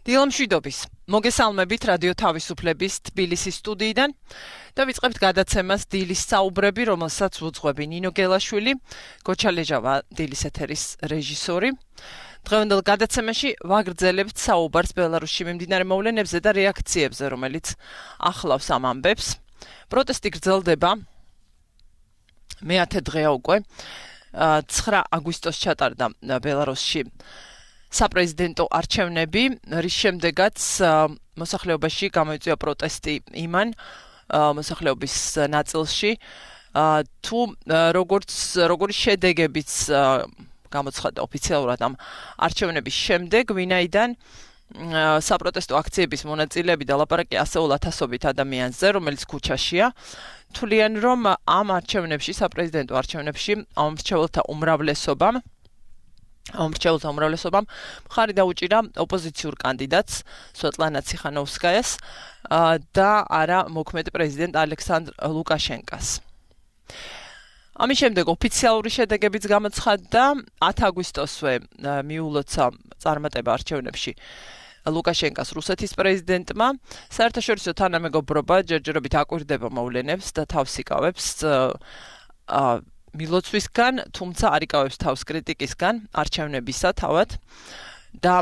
დილამშვიდობის. მოგესალმებით რადიო თავისუფლების თბილისის სტუდიიდან და ვიწყებთ გადაცემას დილის საუბრები, რომელსაც უძღვები ნინო გელაშვილი, გოჩალეჟავა დილის ეთერის რეჟისორი. დღევანდელ გადაცემაში ვაგრძელებთ საუბარს ბელარუსში მიმდინარე მოვლენებზე და რეაქციებზე, რომელიც ახლავს ამ ამბებს. პროტესტი გრძელდება მე-10 დღეა უკვე. 9 აგვისტოს ჩატარდა ბელარუსში საპრეზიდენტო არჩევნები, რის შემდეგაც მოსახლეობაში გამოიწვია პროტესტი იმან მოსახლეობის ნაწილში, თუ როგორი შედეგებიც გამოცხადდა ოფიციალურად ამ არჩევნების შემდეგ, ვინაიდან საპროტესტო აქციების მონაწილეები და ლაპარაკი ასეულ ათასობით ადამიანზე, რომელიც ქუჩაშია, თვლიან, რომ ამ არჩევნებში, საპრეზიდენტო არჩევნებში ამომრჩეველთა უმრავლესობამ მხარი დაუჭირა ოპოზიციურ კანდიდატს სვეტლანა ციხანოვსკაიას და არა მოქმედ პრეზიდენტ ალექსანდრ ლუკაშენკას. ამის შემდეგ ოფიციალური შედეგებიც გამოცხადდა 10 აგვისტოსვე მიულოცა წარმატება არჩევნებში ლუკაშენკას რუსეთის პრეზიდენტმა. საერთაშორისო თანამეგობრობა ჯერჯერობით აკვირდება მოვლენებს და თავს იკავებს მილოცვისგან, თუმცა არ იკავებს თავს კრიტიკისგან არჩევნებისა თავად და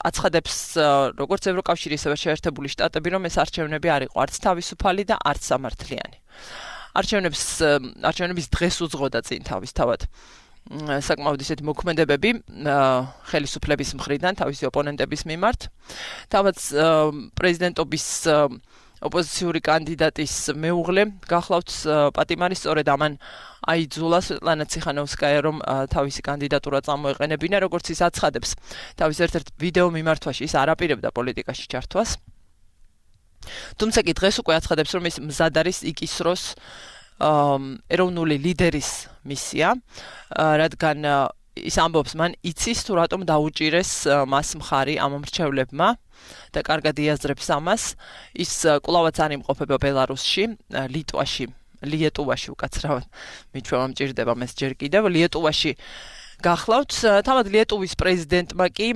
აცხადებს როგორც ევროკავშირი, ისევე შეერთებული შტატები, რომ ეს არჩევნები არ იყო არც თავისუფალი და არც სამართლიანი. არჩევნების დღეს უძღოდა წინ თავისთავად საკმაოდ ისეთი მოქმედებები ხელისუფლების მხრიდან თავისი ოპონენტების მიმართ. თავად პრეზიდენტობის ოპოზიციური კანდიდატის მეუღლე გახლავთ პატიმარი, სწორედ ამან აიძულა სვეტლანა ციხანოვსკაია, რომ თავისი კანდიდატურა წამოეყენებინა, როგორც ის აცხადებს. თავის ერთ-ერთ ვიდეო მიმართვაში ის არ აპირებდა პოლიტიკაში ჩართვას. თუმცა კი დღეს უკვე აცხადებს, რომ ის მზად არის იკისროს ეროვნული ლიდერის მისია, რადგან ის ამბობს, მან იცის თუ რატომ დაუჭირეს მას მხარი ამომრჩევლებმა და კარგად იაზრებს ამას. ის კვლავაც არ იმყოფება ბელარუსში, ლიეტუვაში უკაცრავად მიჩვევა მჭირდება მას ჯერ კიდევ ლიეტუვაში გახლავთ. თავად ლიეტუვის პრეზიდენტმა კი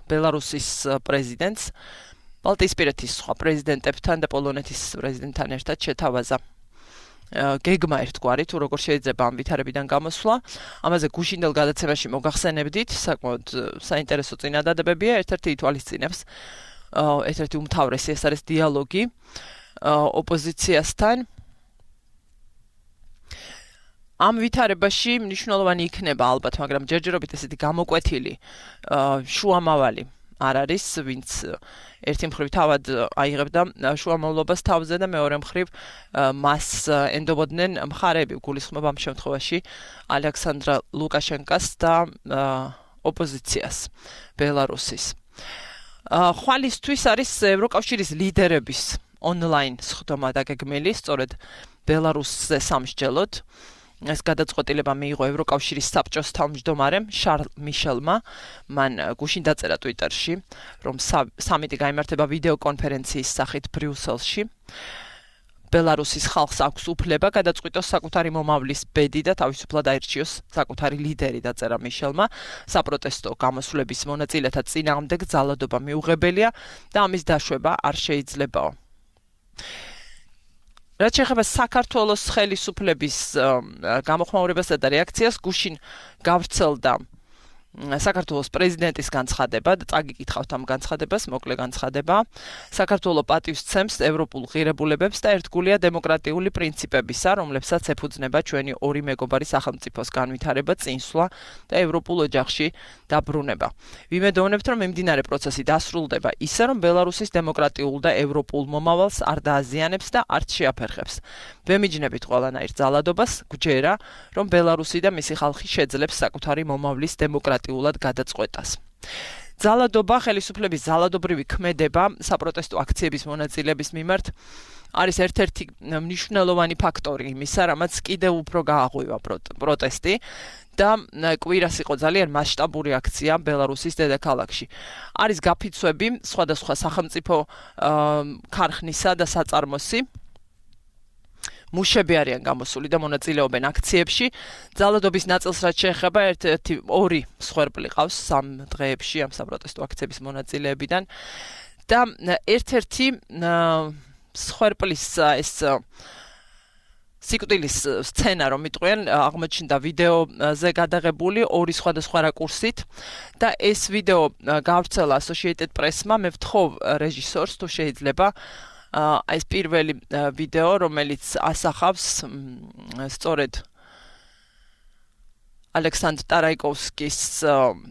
ბელარუსის პრეზიდენტს ბალტიისპირეთის სხვა პრეზიდენტებთან და პოლონეთის პრეზიდენტთან ერთად შეთავაზა გეგმა ერთგვარი, თუ როგორ შეიძლება ამ ვითარებიდან გამოსვლა. ამაზე გუშინდელ გადაცემაში მოგახსენებდით, საკმაოდ საინტერესო წინადადებებია, ერთ-ერთი ითვალისწინებს, ერთ-ერთი უმთავრესი ეს არის დიალოგი ოპოზიციასთან. ამ ვითარებაში მნიშვნელოვანი იქნება ალბათ, მაგრამ ჯერჯერობით ესეთი გამოკვეთილი შუამავალი არ არის, ვინც ერთი მხრივ თავად აიღებდა შუამავლობას თავზე და მეორე მხრივ მას ენდობოდნენ მხარეები, გულისხმობ ამ შემთხვევაში ალექსანდრ ლუკაშენკას და ოპოზიციას ბელარუსის. ხვალისთვის არის ევროკავშირის ლიდერების ონლაინ სხდომა დაგეგმილი, სწორედ ბელარუსზე სამსჯელოდ. ეს გადაწყვეტილება მიიღო ევროკავშირის საბჭოს თავმჯდომარემ შარლ მიშელმა. მან გუშინ დაწერა ტვიტერში, რომ სამიტი გაიმართება ვიდეო კონფერენციის სახით ბრიუსელში. ბელარუსის ხალხს აქვს უფლება გადაწყვიტოს საკუთარი მომავლის ბედი და თავისუფლად აირჩიოს საკუთარი ლიდერი, დაწერა მიშელმა. საპროტესტო გამოსვლების მონაწილეთა წინააღმდეგ ძალადობა მიუღებელია და ამის დაშვება არ შეიძლებაო. რაც შეეხება საქართველოს ხელისუფლების გამოხმაურებასა და რეაქციას, გუშინ გავრცელდა საქართველოს პრეზიდენტის განცხადება და წაგიკითხავთ ამ განცხადებას, მოკლე განცხადება. საქართველო პატივს ცემს ევროპულ ღირებულებებს და ერთგულია დემოკრატიული პრინციპებისა, რომლებსაც ეფუძნება ჩვენი ორი მეგობარი სახელმწიფოს განვითარება, წინსვლა და ევროპულ ოჯახში დაბრუნება. ვიმედოვნებთ, რომ მიმდინარე პროცესი დასრულდება ისე, რომ ბელარუსის დემოკრატიულ და ევროპულ მომავალს არ დააზიანებს და არც შეაფერხებს. ვემიჯნებით ყველანაირ ძალადობას, გვჯერა, რომ ბელარუსი და მისი ხალხი შეძლებს საკუთარი მომავლის დემოკრატიულად გადაწყვეტას. ძალადობა, ხელისუფლების ძალადობრივი ქმედება საპროტესტო აქციების მონაწილეების მიმართ არის ერთ-ერთი მნიშვნელოვანი ფაქტორი იმისა, რამაც კიდევ უფრო გააღვივა პროტესტი და კვირას იყო ძალიან მასშტაბური აქცია ბელარუსის დედაქალაქში. არის გაფიცვები სხვადასხვა სახელმწიფო ქარხნისა და საწარმოსი, მუშები არიან გამოსული და მონაწილეობენ აქციებში. ძალადობის ნაწილს რაც შეეხება ერთ-ერთი 2 მსხვერპლი ყავს 3 დღეებში ამ საპროტესტო აქციების მონაწილეებიდან და ერთ-ერთი მსხვერპლის ეს სიკვდილის სცენა რომ იტყვიან აღმოჩნდა ვიდეოზე გადაღებული 2 სხვადასხვა რაკურსით და ეს ვიდეო გავრცელა Associated Press-მა. მე ვთხოვ რეჟისორს თუ შეიძლება ეს პირველი ვიდეო რომელიც ასახავს სწორედ ალექსანდრ ტარაიკოვსკის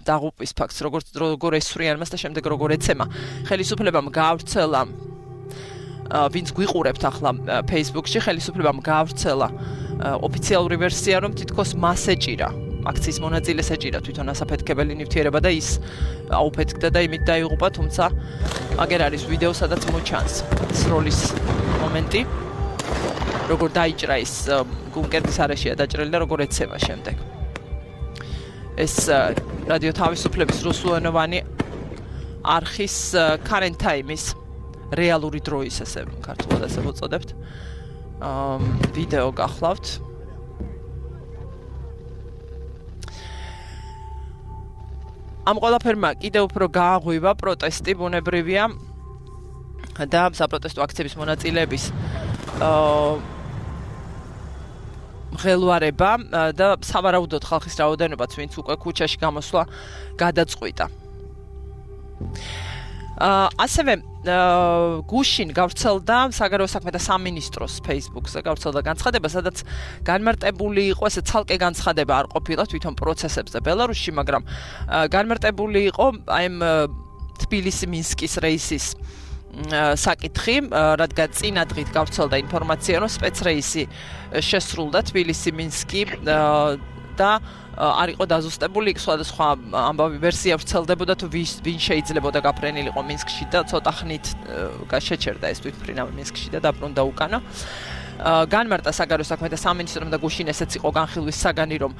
დაღუპვის ფაქტს როგორ ესვრიან მას და შემდეგ როგორ ეცემა ხელისუფლებამ გავრცელა ვინც გვიყურებთ ახლა Facebook-ში ხელისუფლებამ გავრცელა ოფიციალური ვერსია რომ თითქოს მას ეჭირა აქციის მონაწილეს ეჭირა თვითონ ასაფეთქებელი ნივთიერება და ის აუფეთქდა და იმით დაიღუპა თუმცა აგერ არის ვიდეო სადაც მოჩანს სროლის მომენტი როგორ დაიჭრა ის გუნკერდის არეშია დაჭრილი და როგორ ეცემა შემდეგ ეს რადიო თავისუფლების რუსულენოვანი არხის current time-ის რეალური დროის ესე ქართულად ასე მოწოდებთ ვიდეო გახლავთ ამ ყველაფერმა კიდევ უფრო გააღვივა პროტესტი ბუნებრივია და საპროტესტო აქციების მონაწილეების მღელვარება და სავარაუდოდ ხალხის რაოდენობაც ვინც უკვე ქუჩაში გამოსვლა გადაწყვიტა ასევე გუშინ გავრცელდა საგარეო საქმეთა სამინისტროს Facebook-ზე გავრცელდა განცხადება, სადაც განმარტებული იყო ესე ცალკე განცხადება არ ყოფილა თვითონ პროცესებზე ბელარუსში, მაგრამ განმარტებული იყო აი ამ თბილისი-მინსკის რეისის საკითხი, რადგან წინა დღით გავრცელდა ინფორმაცია, რომ სპეცრეისი შესრულდა თბილისი-მინსკი და არ იყო დაზუსტებული, სხვადასხვა ამბავი ვერსია ვრცელდებოდა თუ ვინ შეიძლებოდა გაფრენილიყო მინსკში და ცოტა ხნით შეჩერდა ეს თვითმფრინავი მინსკში და დაბრუნდა უკანა. განმარტა საგარეო საქმეთა სამინისტრომ და გუშინ ესეც იყო განხილვის საგანი, რომ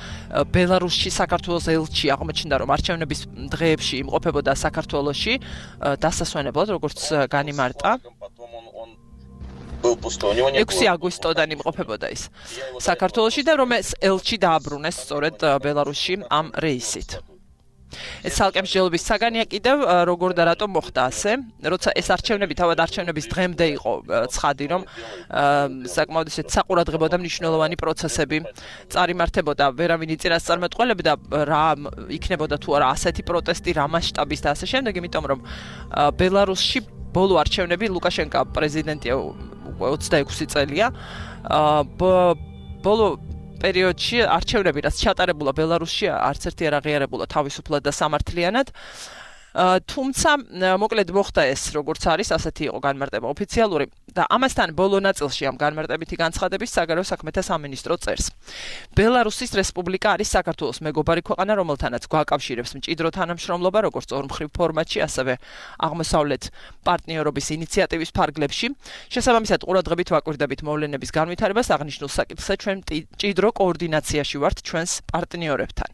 ბელარუსში საქართველოს ელჩი აღმოჩნდა, რომ არჩევნების დღეებში იმყოფებოდა საქართველოში დასასვენებლად, როგორც განიმარტა. 6 აგვისტოდან იმყოფებოდა ის საქართველოში და რომ ეს ელჩი დააბრუნეს სწორედ ბელარუსში ამ რეისით. ეს ცალკე მსჯელობის საგანია კიდევ როგორ და რატომ მოხდა ასე, როცა ეს არჩევნები თავად არჩევნების დღემდე იყო ცხადი, რომ საკმაოდ ისეთ საყურადღებო და მნიშვნელოვანი პროცესები წარიმართებოდა, ვერავინ იწირას წარმატყველებდა რა იქნებოდა თუ არა ასეთი პროტესტი, რა მასშტაბის და ასე შემდეგ, იმიტომ რომ ბელარუსში ბოლო არჩევნები ლუკაშენკა პრეზიდენტია 26 წელია ბოლო პერიოდში არჩევნები რაც ჩატარებულა ბელარუსში არც ერთი არ აღიარებულა თავისუფლად და სამართლიანად თუმცა მოკლედ მოხდა ეს როგორც არის ასეთი იყო განმარტება ოფიციალური და ამასთან ბოლო ნაწილში ამ განმარტებითი განცხადების საგარეო საქმეთა სამინისტრო წერს ბელარუსის რესპუბლიკა არის საქართველოს მეგობარი ქვეყანა რომელთანაც გვაკავშირებს მჭიდრო თანამშრომლობა როგორც ორმხრივ ფორმატში ასევე აღმოსავლეთ პარტნიორობის ინიციატივის ფარგლებში შესაბამისად ყურადღებით ვაკვირდებით მოვლენების განვითარებას აღნიშნულ საკითხზე ჩვენ მჭიდრო კოორდინაციაში ვართ ჩვენს პარტნიორებთან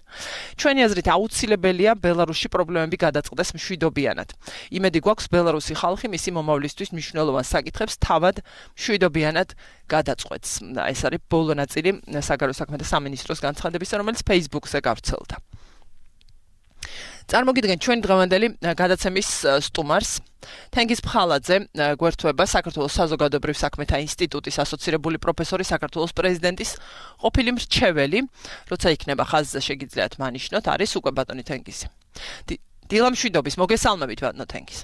ჩვენი აზრით აუცილებელია ბელარუსში პრობლემები გადაწყდეს მშვიდობიანად. იმედი გვაქვს ბელარუსი ხალხი მისი მომავლისთვის მნიშვნელოვან საკითხებს თავად მშვიდობიანად გადაწყვეტს. ეს არის ბოლო ნაწილი საგარეო საქმეთა სამინისტროს განცხადებისა, რომელიც Facebook-ზე გავრცელდა. წარმოგიდგენთ ჩვენი დღევანდელი გადაცემის სტუმარს თენგიზ ფხალაძე გვერდთვება საქართველოს საზოგადოებრივ საქმეთა ინსტიტუტის ასოცირებული პროფესორი საქართველოს პრეზიდენტის ყოფილი მრჩეველი, როცა იქნება ხაზზე შეგიძლიათ მანიშნოთ, არის უკვე ბატონი თენგიზი. დილამშვიდობის მოგესალმებით ბატონო თენგიზ.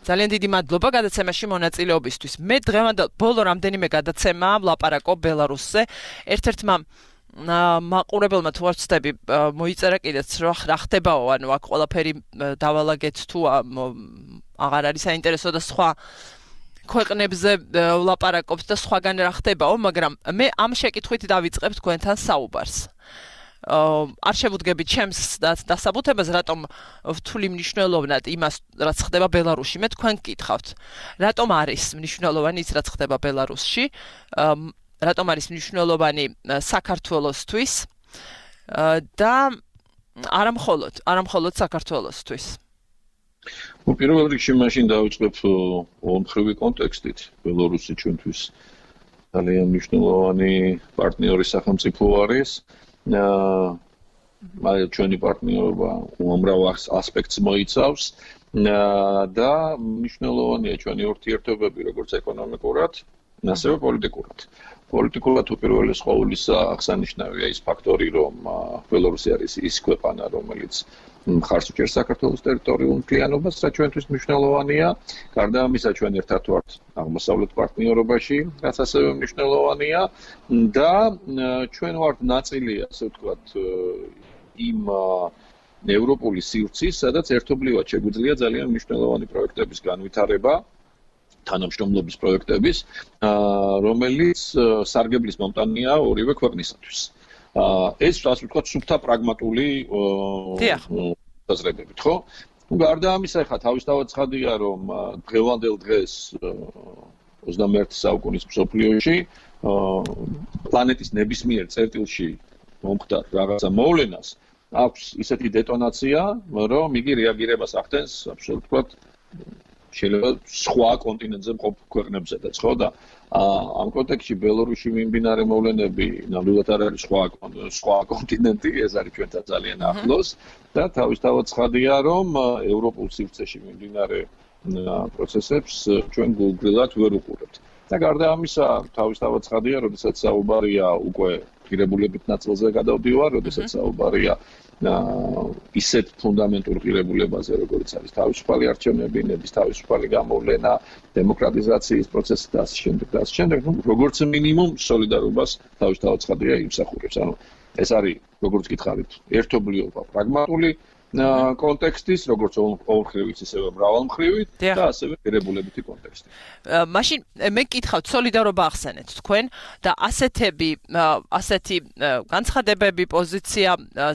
ძალიან დიდი მადლობა გადაცემაში მონაწილეობისთვის. მე დღევანდელ ბოლო რამდენიმე გადაცემა ვლაპარაკო ბელარუსზე. ერთ-ერთმა მაყურებელმა თუ არ ვცდები მოიწერა კიდეც რა ხდებაო, ანუ აქ ყველაფერი დავალაგეთ თუ აღარ არის საინტერესო და სხვა ქვეყნებზე ვლაპარაკობთ და სხვაგან რა ხდებაო, მაგრამ მე ამ შეკითხვით დავიწყებ თქვენთან საუბარს. არ შევუდგებით ჩემს დასაბუთებას, რატომ ვთვლი მნიშვნელოვნად იმას, რაც ხდება ბელარუსში. მე თქვენ გკითხავთ, რატომ არის მნიშვნელოვანი ის, რაც ხდება ბელარუსში, რატომ არის მნიშვნელოვანი საქართველოსთვის და არა მხოლოდ საქართველოსთვის. პირველ რიგში მაშინ დავიწყებ ორმხრივი კონტექსტით. ბელარუსი ჩვენთვის ძალიან მნიშვნელოვანი პარტნიორი სახელმწიფო არის. ჩვენი პარტნიორობა უამრავ ასპექტს მოიცავს და მნიშვნელოვანია ჩვენი ურთიერთობები როგორც ეკონომიკურად, ასევე პოლიტიკურად. პოლიტიკურად უპირველეს ყოვლისა აღსანიშნავია ის ფაქტორი, რომ ბელორუსი არის ის ქვეყანა, რომელიც მხარს უჭერს საქართველოს ტერიტორიულ მთლიანობას, რაც ჩვენთვის მნიშვნელოვანია. გარდა ამისა, ჩვენ ერთად ვართ აღმოსავლეთ პარტნიორობაში, რაც ასევე მნიშვნელოვანია და ჩვენ ვართ ნაწილი, ასე ვთქვათ, იმ ევროპული სივრცის, სადაც ერთობლივად შეგვიძლია ძალიან მნიშვნელოვანი პროექტების განვითარება, თანამშრომლობის პროექტების, რომელიც სარგებლის მომტანია ორივე ქვეყნისათვის. ეს ასე ვთქვათ, სუფთა პრაგმატული საზრებებით, ხო? გარდა ამისა, ხა თავისთავად ცხადია, რომ დღევანდელ დღეს 21 საუკუნის მსოფლიოში პლანეტის ნებისმიერ წერტილში მომხდარ რაღაცა მოვლენას აქვს ისეთი დეტონაცია, რომ იგი რეაგირებას ახდენს, აბსოლუტურად შეიძლება სხვა კონტინენტზე მყოფ ქვეყნებზედაც, ხო და ამ კონტექსტში ბელორუსში მიმდინარე მოვლენები ნამდვილად არ არის სხვა კონტინენტი, ეს არის ჩვენთან ძალიან ახლოს და თავისთავად ცხადია, რომ ევროპულ სივრცეში მიმდინარე პროცესებს ჩვენ გულგრილად ვერ უყურებთ. და გარდა ამისა, თავისთავად ცხადია, როდესაც საუბარია უკვე ღირებულებით ნაწილზე გადავდივარ, როდესაც საუბარია ისეთ ფუნდამენტურ ღირებულებაზე, როგორც არის თავისუფალი არჩევნები, ნების თავისუფალი გამოვლენა, დემოკრატიზაციის პროცესი და ასე შემდეგ, როგორც მინიმუმ სოლიდარობას თავისთავად ცხადია იმსახურებს. ანუ ეს არის, როგორც გითხარით, ერთობლიობა პრაგმატული კონტექსტის, როგორც ორმხრივით, ისევე მრავალმხრივით და ასევე ღირებულებითი კონტექსტი. მაშინ მე გკითხავთ, სოლიდარობა ახსენეთ თქვენ და ასეთი განცხადებები, პოზიცია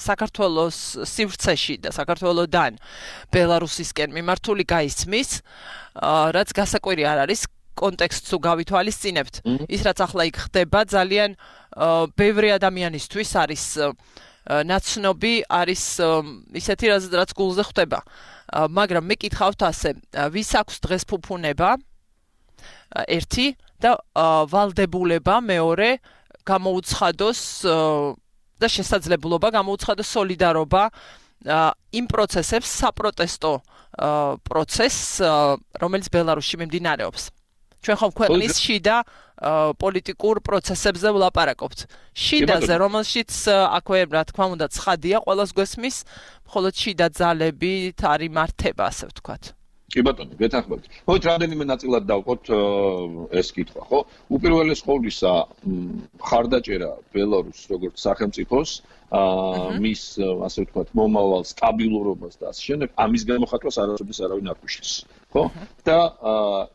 საქართველოს სივრცეში და საქართველოდან ბელარუსისკენ მიმართული გაისმის, რაც გასაკვირი არ არის. კონტექსტს უგავითვალისწინებთ. ის რაც ახლა იქ ხდება, ძალიან ბევრი ადამიანისთვის არის ნაცნობი, არის ისეთი რაც გულზე ხვდება. მაგრამ მე კითხავთ ასე, ვის აქვს დღეს ფუფუნება? ერთი და ვალდებულება მეორე გამოუცხადოს და შესაძლებლობა გამოუცხადოს სოლიდარობა იმ პროცესებს, საპროტესტო პროცესს, რომელიც ბელარუსში მიმდინარეობს. ჩვენ ხომ ქვეყნის შიდა პოლიტიკურ პროცესებზე ვლაპარაკობთ. შიდაზე, რომელშიც აქვე, რა თქმა უნდა, ცხადია, ყველას გვესმის, მხოლოდ შიდა ძალებით არის მართება, ასე ვთქვათ. კი ბატონო, გეთანხმებით. მოით რამდენიმე ნაწილად დავყოთ ეს კითხვა, ხო? უპირველეს ყოვლისა, მხარდაჭერა ბელარუსს როგორც სახელმწიფოს, მის, ასე ვთქვათ, მომავალ სტაბილურობას და ასე შემდეგ, ამის გამოხატვას არასოდეს არავინ არ გვიშლის, ხო? და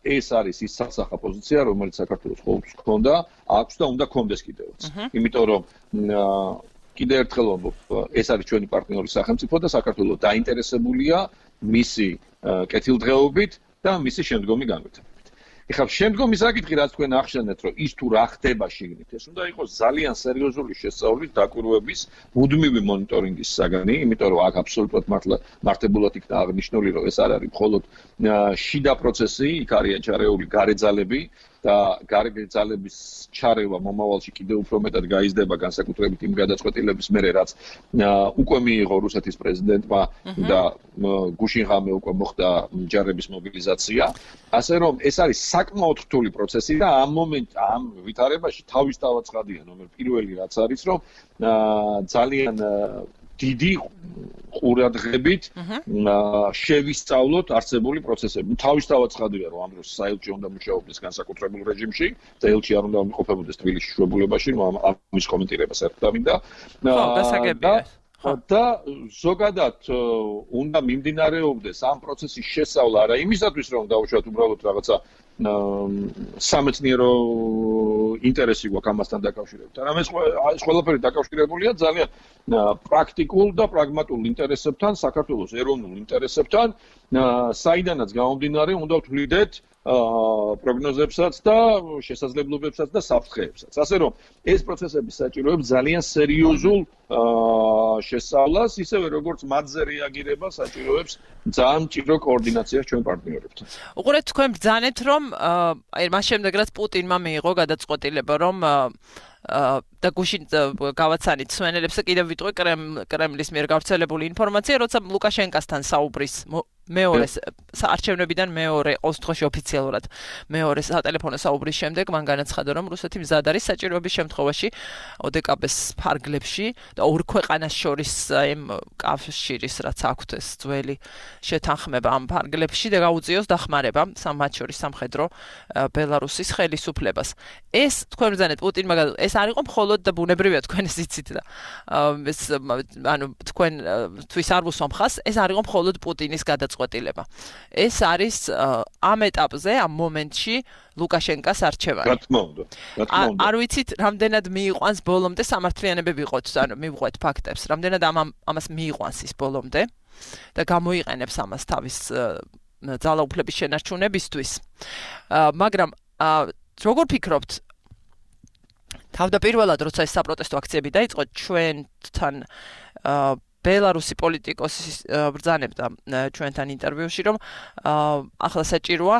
ეს არის ის სასახა პოზიცია, რომელიც საქართველოს ყოველთვის ჰქონდა, აქვს და უნდა გქონდეს კიდევაც. იმიტომ რომ კიდევ ერთხელ ვამბობ, ეს არის ჩვენი პარტნიორი სახელმწიფო და საქართველო დაინტერესებულია მისი კეთილდღეობით და მისი შემდგომი განვითარებით. ეხლა შემდგომი საკითხი, რაც თქვენ ახსენეთ, რომ ის თუ რა ხდება შიგნით, ეს უნდა იყოს ძალიან სერიოზული შესწავლის, დაკვირვების, მუდმივი მონიტორინგის საგანი, იმიტომ რომ აქ აბსოლუტურად მართებულად იქნა აღნიშნული, რომ ეს არ არის მხოლოდ შიდა პროცესი, იქ არიან ჩარეული გარე ძალები და გარე ძალების ჩარევა მომავალში კიდევ უფრო მეტად გაიზრდება განსაკუთრებით იმ გადაწყვეტილების მერე, რაც უკვე მიიღო რუსეთის პრეზიდენტმა და გუშინ ღამე უკვე მოხდა ჯარების მობილიზაცია. ასე რომ ეს არის საკმაოდ რთული პროცესი და ამ ვითარებაში თავისთავად ცხადია ნომერ პირველი რაც არის, რომ ძალიან დიდი ყურადღებით შევისწავლოთ არსებული პროცესები. თავისთავად ცხადია, რომ ამ დროს საელჩი უნდა მუშაობდეს განსაკუთრებულ რეჟიმში, საელჩი არ უნდა იმყოფებოდეს თბილისის შუებულებაში, ამის კომენტირებას არ დამინდა. ხო, გასაგებია. და ზოგადად უნდა მიმდინარეობდეს ამ პროცესის შესწავლა არა იმისათვის, რომ დავუშვათ უბრალოდ რაღაცა სამეცნიერო ინტერესი გვაქვს ამასთან დაკავშირებით. არამედ ეს ყველაფერი დაკავშირებულია ძალიან პრაქტიკულ და პრაგმატულ ინტერესებთან, საქართველოს ეროვნულ ინტერესებთან, საიდანაც გამომდინარე უნდა ვთვლიდეთ პროგნოზებსაც და შესაძლებლობებსაც და საფრთხეებსაც. ასე რომ ეს პროცესები საჭიროებს ძალიან სერიოზულ შესწავლას, ისევე როგორც მათზე რეაგირება საჭიროებს ძალიან მჭიდრო კოორდინაციას ჩვენ პარტნიორებთან. უყურეთ, თქვენ ბრძანეთ, რომ მას შემდეგ რაც პუტინმა მიიღო გადაწყვეტილება გადაწყვეტილება, რომ და გუშინ გავაცანით სვენელებს კიდევ ვიტყვი კრემლის მიერ გავრცელებული ინფორმაცია, როცა ლუკაშენკასთან საუბრის მეორე საარჩევნებიდან მეორე 20 დღეში ოფიციალურად მეორე სატელეფონო საუბრის შემდეგ მან განაცხადა, რომ რუსეთი მზად არის საჭიროების შემთხვევაში ოდეკაბეს ფარგლებში და ორ ქვეყანას შორის იმ კავშირის რაც აქვთ ეს ძველი შეთანხმება ამ ფარგლებში და გაუწიოს დახმარება მათ შორის სამხედრო ბელარუსის ხელისუფლებას. ეს თქვენ ბრძანეთ პუტინმა ეს არ იყო მხოლოდ და ბუნებრივია თქვენ იცით და ეს ანუ თქვენ თვის არ უსვამხას, ეს არ იყო მხოლოდ პუტინის გადაწყვეტილება. ეს არის ამ ეტაპზე, ამ მომენტში ლუკაშენკას არჩევანი. რა თქმა უნდა. არ ვიცით, რამდენად მიიყვანს ბოლომდე სამართლიანები ვიყოთ, ანუ მივყვეთ ფაქტებს, რამდენად ამას მიიყვანს ის ბოლომდე და გამოიყენებს ამას თავის ძალაუფლების შენარჩუნებისთვის. მაგრამ როგორ ფიქრობთ, თავდაპირველად როცა ეს საპროტესტო აქციები დაიწყო, ჩვენთან ბელარუსი პოლიტიკოსი ბრძანებდა ჩვენთან ინტერვიუში, რომ ახლა საჭიროა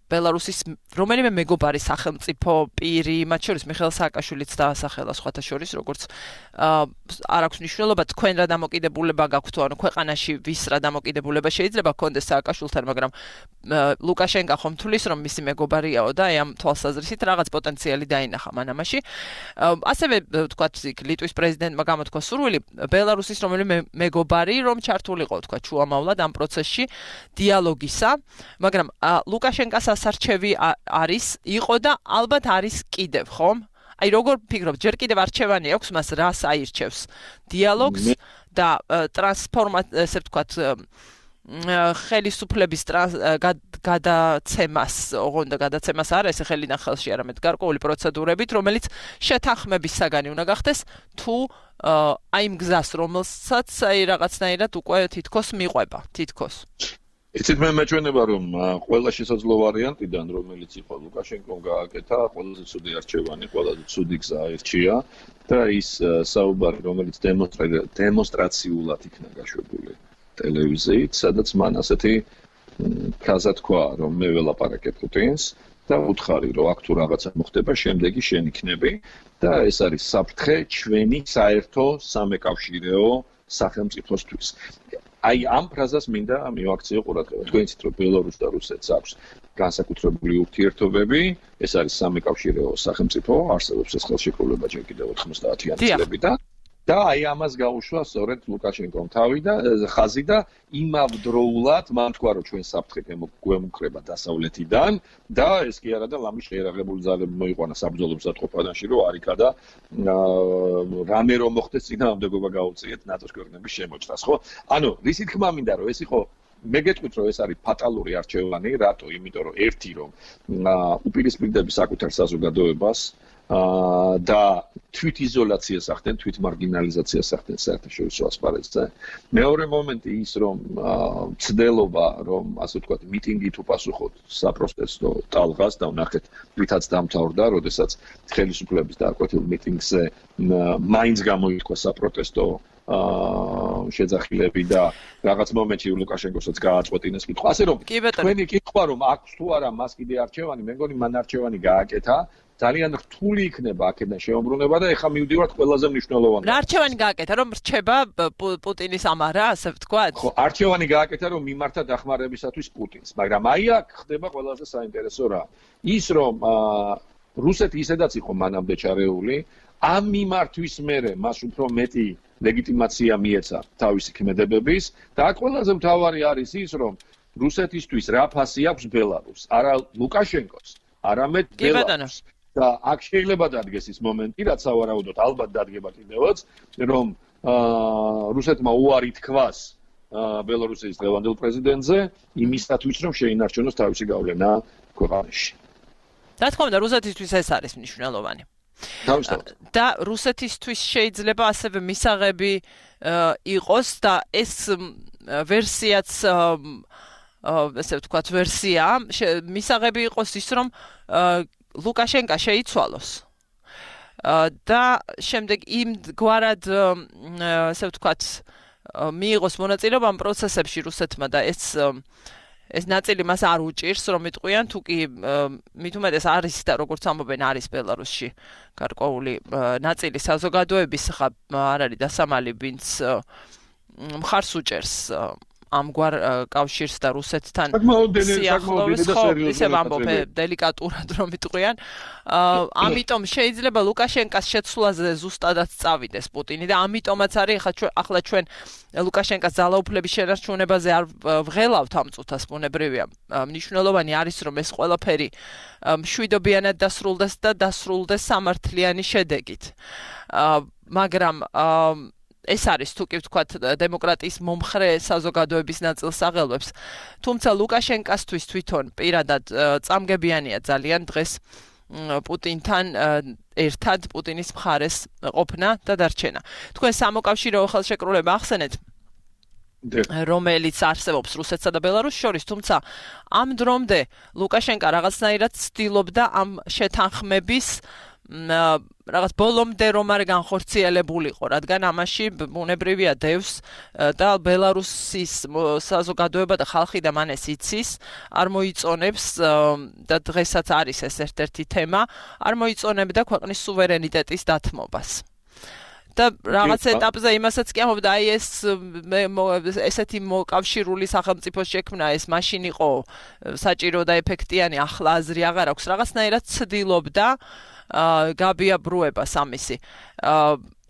ბელარუსის რომელიმე მეგობარი სახელმწიფო პირი, მათ შორის მიხეილ სააკაშვილიც დაასახელა სხვათა შორის, როგორც არ აქვს მნიშვნელობა თქვენ რა დამოკიდებულება გაქვთ, ანუ ქვეყანაში ვის რა დამოკიდებულება შეიძლება გქონდეს სააკაშვილთან, მაგრამ ლუკაშენკა ხომ თulis რომ მისი მეგობარიაო და ამ თვალსაზრისით რაღაც პოტენციალი დაინახა მან ამაში. ასევე თქვათ ლიტვის პრეზიდენტმა გამოთქვა სურვილი ბელარუსის რომელიმე მეგობარი რომ ჩართულიყო თქვათ შუამავლად ამ პროცესში დიალოგისა, მაგრამ ლუკაშენკას ასარჩევი იყო და ალბათ არის კიდევ, ხომ? აი როგორ ფიქრობთ, ჯერ კიდევ არჩევანი აქვს მას რას აირჩევს? დიალოგს და ესე ვთქვათ ხელისუფლების გადაცემას, ოღონდ და გადაცემას არა, ესე ხელიდან ხელში, არამედ გარკვეული პროცედურებით, რომელიც შეთანხმების საგანი უნდა გახდეს, თუ აი იმ გზას, რომელსაც აი რაღაცნაირად უკვე თითქოს მიყვება, თითქოს. იცით მე მეჩვენება რომ ყველა შესაძლო ვარიანტიდან რომელიც იყო ლუკაშენკომ გააკეთა ყველაზე ცუდი არჩევანი, ყველაზე ცუდი გზა აირჩია და ის საუბარი რომელიც დემონსტრაციულად იქნა გაშვებული ტელევიზიით, სადაც მან ასეთი ფრაზა თქვა რომ მე ველაპარაკებ პუტინს და უთხარი რომ აქ თუ რაღაცა მოხდება შემდეგი შენ იქნები და ეს არის საფრთხე ჩვენი საერთო სამეკავშირეო სახელმწიფოსთვის. აი ამ ფრაზას მინდა მივაქციო ყურადღება. თქვენ იცით რომ ბელარუსს და რუსეთს აქვს განსაკუთრებული ურთიერთობები, ეს არის სამეკავშირეო სახელმწიფო, არსებობს ეს ხელშეკრულება ჯერ კიდევ 90-იანი წლებიდან და აი ამას გაუშვა სწორედ ლუკაშენკომ თავი და ხაზი და იმავდროულად მან თქვა რომ ჩვენ საფრთხე გვემუქრება დასავლეთიდან და ეს კი არა და ლამის შეერაღებული ძალები მოიყვანა საბრძოლო მზადყოფანაში რომ არიქა და რამე რომ მოხდეს წინააღმდეგობა გაუწიეთ ნატოს ქვეყნების შემოჭრას, ხო? ანუ რისი თქმა მინდა რომ ეს იყო მე გეტყვით რომ ეს არის ფატალური არჩევანი, რატო? იმიტომ რომ ერთი რომ უპირისპირდები საკუთარ საზოგადოებას და თვით იზოლაციას ახდენ, თვით მარგინალიზაციას ახდენ საერთაშორისო ასპარეზზე. მეორე მომენტი ის რომ ცდელობა რომ ასე ვთქვათ მიტინგით უპასუხოთ საპროტესტო ტალღას და ვნახეთ ვითაც დამთავრდა, როდესაც ხელისუფლების დააკვეთილ მიტინგზე მაინც გამოითქვა საპროტესტო შეძახილები და რაღაც მომენტში ლუკაშენკოსაც გააწყვეტინეს კითხვა. ასე რომ თქვენი კითხვა რომ აქვს თუ არა მას კიდე არჩევანი, მე მგონი მან არჩევანი გააკეთა. ძალიან რთული იქნება აქედან შეუმბრუნება და ეხა მივდივართ ყველაზე მნიშვნელოვანად. რა არჩევანი გააკეთა რომ რჩება პუტინის ამარა, ასე ვთქვათ? ხო, არჩევანი გააკეთა რომ მიმართა დახმარებისათვის პუტინს, მაგრამ აი აქ ხდება ყველაზე საინტერესო რა. ის რომ რუსეთი ისედაც იყო მანამდე ჩარეული, ამ მიმართვის მერე მას უფრო მეტი ლეგიტიმაცია მიეცა თავისი ქმედებების და აქ ყველაზე მთავარი არის ის რომ რუსეთისთვის რა ფასი აქვს ბელარუსს, არა ლუკაშენკოს, არამედ ბელარუსს. და აქ შეიძლება დადგეს ის მომენტი, რაც სავარაუდოდ ალბათ დადგება კიდევაც, რომ რუსეთმა უარი თქვას ბელარუსის დღევანდელ პრეზიდენტზე იმისათვის, რომ შეინარჩუნოს თავისი გავლენა ქვეყანაში. რა თქმა უნდა, რუსეთისთვის ეს არის მნიშვნელოვანი. თავისთავად. და რუსეთისთვის შეიძლება ასევე მისაღები იყოს და ეს ვერსიაც ესე ვთქვათ ვერსია მისაღები იყოს ის რომ ლუკაშენკა შეიცვალოს და შემდეგ იმგვარად ასე ვთქვათ მიიღოს მონაწილეობა ამ პროცესებში რუსეთმა და ეს ეს ნაწილი მას არ უჭირს, რომ იტყვიან, თუ კი მით უმეტეს არის და როგორც ამბობენ, არის ბელარუსში გარკვეული ნაწილი საზოგადოების ხა არ არის დასამალი, ვინც მხარს უჭერს ამგვარ კავშირს და რუსეთთან სიახლოვეს, ხო, ისე ვამბობ, დელიკატურად რომ იტყვიან. ამიტომ შეიძლება ლუკაშენკას შეცვლაზე ზუსტადაც წავიდეს პუტინი და ამიტომაც არის ახლა ჩვენ ლუკაშენკას ძალაუფლების შენარჩუნებაზე არ ვღელავთ ამ წუთას, ბუნებრივია. მნიშვნელოვანი არის რომ ეს ყველაფერი მშვიდობიანად დასრულდეს და დასრულდეს სამართლიანი შედეგით. მაგრამ ეს არის თუ კი ვთქვათ დემოკრატიის მომხრე საზოგადოების ნაწილს აღელვებს. თუმცა ლუკაშენკასთვის თვითონ პირადად წამგებიანია ძალიან დღეს პუტინთან ერთად პუტინის მხარეს ყოფნა და დარჩენა. თქვენ სამოკავშირეო ხელშეკრულება ახსენეთ, რომელიც არსებობს რუსეთსა და ბელარუსს შორის, თუმცა ამ დრომდე ლუკაშენკა რაღაცნაირად ცდილობდა ამ შეთანხმების რაღაც ბოლომდე რომ არ განხორციელებულიყო, რადგან ამაში ბუნებრივია დევს და ბელარუსის საზოგადოება და ხალხი და მან ეს იცის, არ მოიწონებს და დღესაც არის ეს ერთ-ერთი თემა, არ მოიწონებდა ქვეყნის სუვერენიტეტის დათმობას. და რაღაც ეტაპზე იმასაც კი ამბობდა, აი ეს ესეთი მოკავშირული სახელმწიფოს შექმნა, ეს მაშინ იყო საჭირო და ეფექტიანი, ახლა აზრი აღარ აქვს, რაღაცნაირად ცდილობდა გაბიაბრუებას ამისი.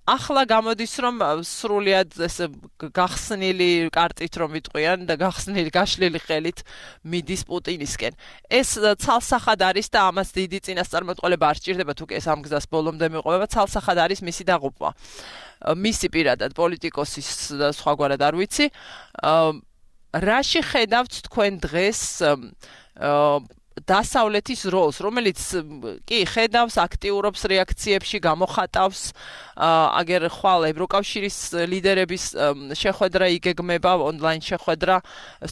ახლა გამოდის რომ სრულიად ეს გახსნილი კარტით რომ ვიტყვიან და გაშლილი ხელით მიდის პუტინისკენ. ეს ცალსახად არის და ამას დიდი წინასწარმეტყველება არ სჭირდება, თუ კი ეს ამ გზას ბოლომდე მიყვება, ცალსახად არის მისი დაღუპვა. მისი პირადად პოლიტიკოსის და სხვაგვარად არ ვიცი. რაში ხედავთ თქვენ დღეს დასავლეთის როლს, რომელიც კი ხედავს, აქტიურობს რეაქციებში, გამოხატავს, აგერ ხვალ ევროკავშირის ლიდერების შეხვედრა იგეგმება, ონლაინ შეხვედრა,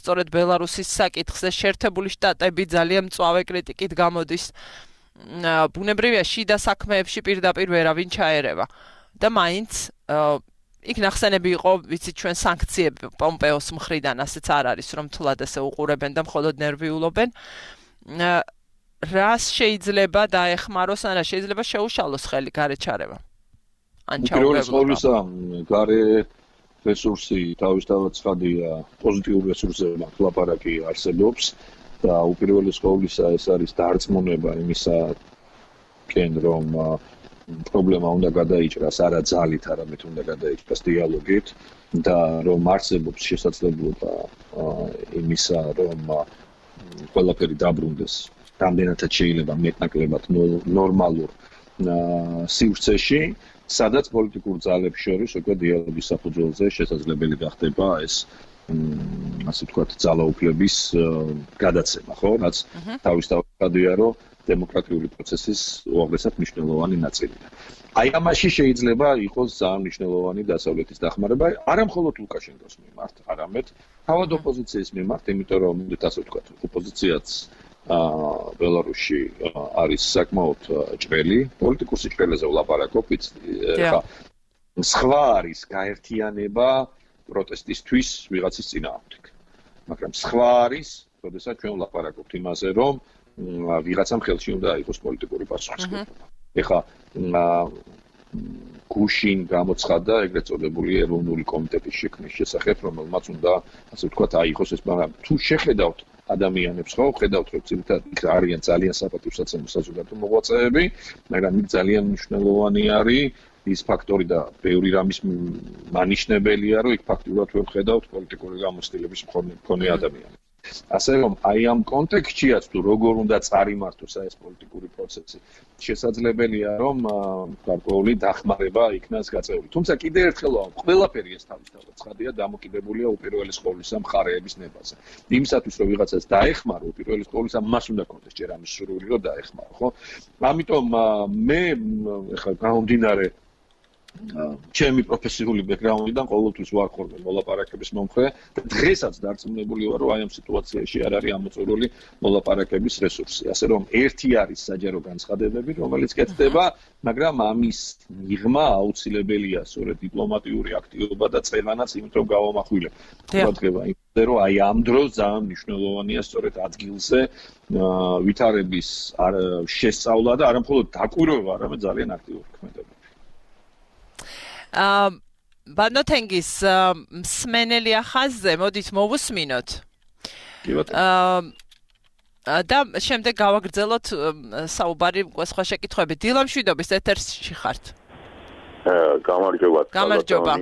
სწორედ ბელარუსის საკითხზე, შეერთებული შტატები ძალიან მწვავე კრიტიკით გამოდის. ბუნებრივია, შიდა საქმეებში პირდაპირ ვერავინ ჩაერევა. და მაინც იქ ნახსენები იყო, ვიცით ჩვენ სანქციები პომპეოს მხრიდან, ასეც არ არის, რომ თლად ესე უყურებენ და მხოლოდ ნერვიულობენ. რას შეიძლება დაეხმაროს, ან რა შეიძლება შეუშალოს ხელი გარეჩარევა? ან ჩაუყევლობა. გარე რესურსი თავისთავად ცხადია, პოზიტიური რესურსები ლაპარაკი არსებობს და უპირველეს ყოვლისა ეს არის დარწმუნება იმისაკენ, რომ პრობლემა უნდა გადაიჭრას არა ძალით, არამედ უნდა გადაიჭრას დიალოგით და რომ არსებობს შესაძლებლობა იმისა, რომ ყველაფერი დაბრუნდეს რამდენადაც შეიძლება მეტნაკლებად ნორმალურ სივრცეში, სადაც პოლიტიკურ ძალებს შორის უკვე დიალოგის საფუძველზე შესაძლებელი გახდება ეს ასე ვთქვათ ძალაუფლების გადაცემა, ხო? რაც თავისთავად რომ დემოკრატიული პროცესის უაღრესად მნიშვნელოვანი ნაწილია. აი ამაში შეიძლება იყოს ძალიან მნიშვნელოვანი დასავლეთის დახმარება, არა მხოლოდ ლუკაშენკოს მიმართ, არამედ თავად ოპოზიციის მიმართ, იმიტომ რომ ასე ვთქვათ, ოპოზიციაც ბელარუსში არის საკმაოდ ჭრელი, პოლიტიკურ სიჭრელეზე ვლაპარაკობ, ხა სხვა არის გაერთიანება პროტესტისთვის ვიღაცის წინააღმდეგ. მაგრამ სხვა არის, როდესაც ჩვენ ვლაპარაკობთ იმაზე, რომ ვიღაცამ ხელში უნდა იყოს პოლიტიკური პასუხისმგებლობა. ეხლა გუშინ გამოცხადა ეგრეთ წოდებული ეროვნული კომიტეტის შექმნის შესახებ, რომელმაც უნდა, ასე ვთქვათ, აიღოს ეს, მაგრამ თუ შეხედავთ ადამიანებს, ხო, ხედავთ, რომ ძირითადად არიან ძალიან საპატივსაცემო საზოგადო მოღვაწეები, მაგრამ იქ ძალიან მნიშვნელოვანი არის ის ფაქტორი და ბევრი რამის მანიშნებელია, რომ იქ ფაქტურად ვერ ხედავთ პოლიტიკური გამოცდილების მქონე ადამიანები. ასე რომ აი ამ კონტექსტშიაც თუ როგორ უნდა წარიმართოს ეს პოლიტიკური პროცესი, შესაძლებელია რომ გარკვეული დახმარება იქნას გაწეული. თუმცა კიდევ ერთხელ ყველაფერი ეს თავისთავად ცხადია დამოკიდებულია უპირველეს ყოვლისა მხარეების ნებაზე. იმისათვის რომ ვიღაცას დაეხმარო, უპირველეს ყოვლისა მას უნდა კონდეს ჯერ ამის სრული რომ დაეხმარო, ხო? ამიტომ მე ეხლა გამომდინარე ჩემი პროფესიული ბექგრაუნდიდან ყოველთვის ვარხურე მოლაპარაკების მომხრე და დღესაც დარწმუნებული ვარ, რომ აი ამ სიტუაციაში არ არის ამოწურული მოლაპარაკების რესურსი. ასე რომ ერთი არის საჯარო განცხადებები, რომელიც კეთდება, მაგრამ ამის მიღმა აუცილებელია სწორედ დიპლომატიური აქტივობა და წევანაც, იმიტომ რომ გავამახვილებ. ყურადღება იმაზე, რომ აი ამ დროს ძალიან მნიშვნელოვანია სწორედ ადგილზე ვითარების შესწავლა და არა მხოლოდ დაკვირვება, არამედ ძალიან აქტიური ქმედება. ბანოთენგის მსმენელი ახაზზე მოდით მოვუსმინოთ. კი ბატონო. და შემდეგ გავაგრძელოთ საუბარი სხვა შეკითხვები. დილამ შვიდობის ეთერში ხართ. გამარჯობა. გამარჯობა.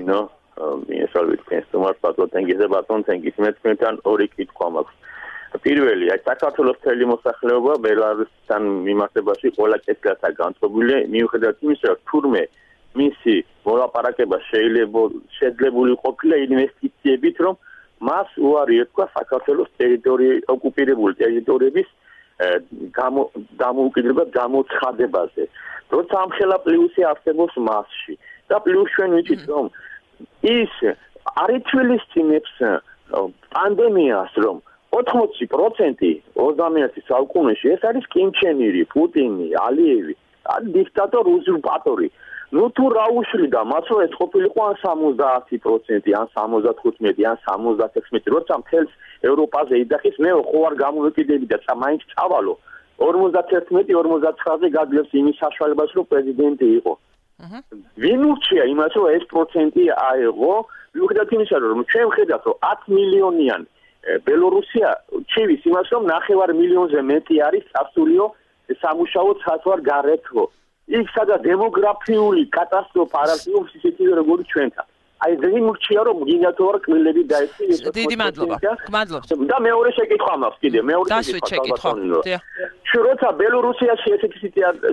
მიესალმებით თქვენს თემას ბანოთენგიზე ბანოთენგის მე თქვენთან ორი კითხვა მაქვს. პირველი, აი საქართველოს მთელი მოსახლეობა ბელარუსთან მიმართებაში ყველა კეთილადაა განწყობილი, მიუხედავად იმისა, რომ თურმე მისი მოლაპარაკება შეიძლება ყოფილა ინვესტიციებით, რომ მას უარი ეთქვა საქართველოს ოკუპირებული ტერიტორიების დამოუკიდებლად გამოცხადებაზე. როცა ამხელა პლუსი არსებობს მასში და პლუს ჩვენ ვიცით, რომ ის არ ითვალისწინებს პანდემიას, რომ 80% 21 საუკუნეში ეს არის კიმჩენირი, პუტინი, ალიევი, დიქტატორი, უზურპატორი. ნუ თუ რა უშლიდა მას, რომ ეს ყოფილიყო ან 70%, ან 75, ან 76, როცა მთელს ევროპაზე იძახის, მე ხო არ გამოვეკიდები და მაინც წავალო. 51-59-ზე გადლებს იმის საშუალებას, რომ პრეზიდენტი იყო. ვინ ურჩია იმას, რომ ეს პროცენტი აეღო, მიუხედავად იმისა, რომ ჩვენ ვხედავთ, რომ 10 მილიონიან ბელორუსია ჩივის იმას, რომ 9 მილიონზე მეტი არის წასულიო სამუშაო ცალ გარეთო. იქ სადაც დემოგრაფიული კატასტროფა არ არსებობს ისეთი როგორც ჩვენთან. აი ვინ ურჩია, რომ გინდათო არ კბილები დაეცი. დიდი მადლობა. გმადლობთ. და მეორე შეკითხვა მაქვს კიდე, მეორე შეკითხვა. როცა ბელორუსიაში ესეთი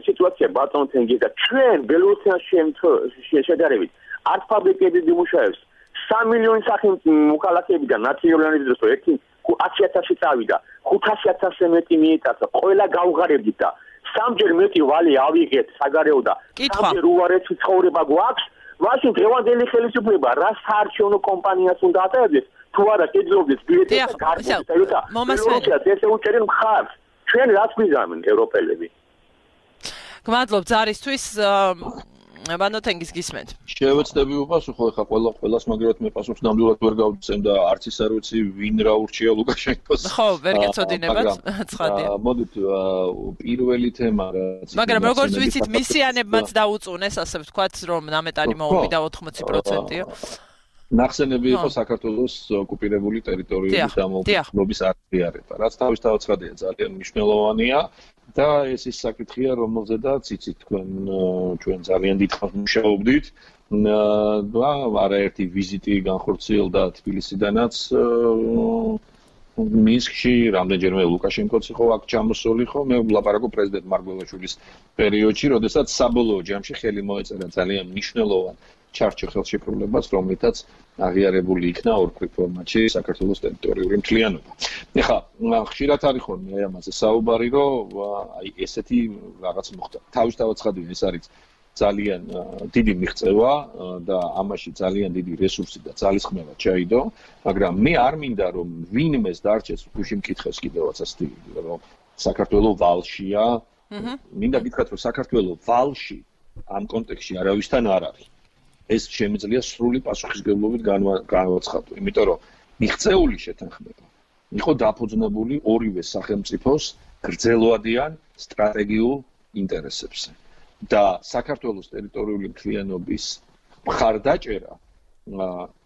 სიტუაცია ბატონთენგი და ჩვენ ბელორუსიაში შედარებით არც ფაბრიკები იმუშავებს 3 მილიონი სახელმწიფო მოქალაქეებიდან ნაციონალიზმის ერთი 100,000 წავიდა 500,000-ზე მეტი მიიტაცა ყველა გავღარებდით და სამჯერ მეტი ვალი ავიღეთ საგარეო და სამჯერ უარესი ცხოვრება გვაქვს მაშინ დღევანდელი ხელისუფლება რა საარჩევნო კომპანიას უნდა ატარებდეს თუ არა კეძლობდეს ბილეთს და გარკვეულწილად ბელორუსიას ესე უჭერენ მხარს ჩვენ რას გვიზამენ ევროპელები გმადლობ ზარისთვის ბანოთენგის გისმენთ. შევეცდები უპასუხო ხა ყველას მაგრად მე პასუხს ნამდვილად ვერ გავცემ და არც ის არ ვიცი ვინ რა ურჩია ლუკაშენკოს. ხო, ვერ გეცოდინებათ, ცხადია. მოდით პირველი თემა რაც მაგრამ როგორც ვიცით მისიანებმაც დაუწუნეს, ასე ვთქვათ, რომ ნამეტანი მოვიდა 80%-ია. ნახსენები იყო საქართველოს ოკუპირებული ტერიტორიების დამოუკიდებლობის აღიარება, რაც თავისთავად ცხადია, ძალიან მნიშვნელოვანია. და ეს ის საკითხია, რომელზედაც იცით ჩვენ ძალიან დიდხანს მუშაობდით. და არაერთი ვიზიტი განხორციელდა თბილისიდანაც მინსკში, რამდენჯერმე ლუკაშენკოც იყო აქ ჩამოსული ხო, მე ვლაპარაკობ პრეზიდენტ მარგველაშვილის პერიოდში, როდესაც საბოლოო ჯამში ხელი მოეწერა ძალიან მნიშვნელოვან ჩარჩო ხელშეკრულებას, რომლითაც აღიარებული იქნა ორკვირ ფორმატში საქართველოს ტერიტორიული მთლიანობა. ეხლა ხშირად არის ხოლმე აი ამაზე საუბარი, რომ აი ესეთი რაღაც მოხდა. თავისთავად ცხადია, ეს არის ძალიან დიდი მიღწევა და ამაში ძალიან დიდი რესურსი და ძალისხმევა ჩაიდო, მაგრამ მე არ მინდა რომ ვინმეს დარჩეს გუში მკითხეს კიდევაც ასეთი რომ საქართველოს ვალშია. მინდა გითხრათ რომ საქართველოს ვალში ამ კონტექსტში არავისთან არ არის. ეს შემიძლია სრული პასუხისგებლობით განვაცხადო, იმიტომ რომ მიღწეული შეთანხმება იყო დაფუძნებული ორივე სახელმწიფოს გრძელვადიან სტრატეგიულ ინტერესებზე და საქართველოს ტერიტორიული მთლიანობის მხარდაჭერა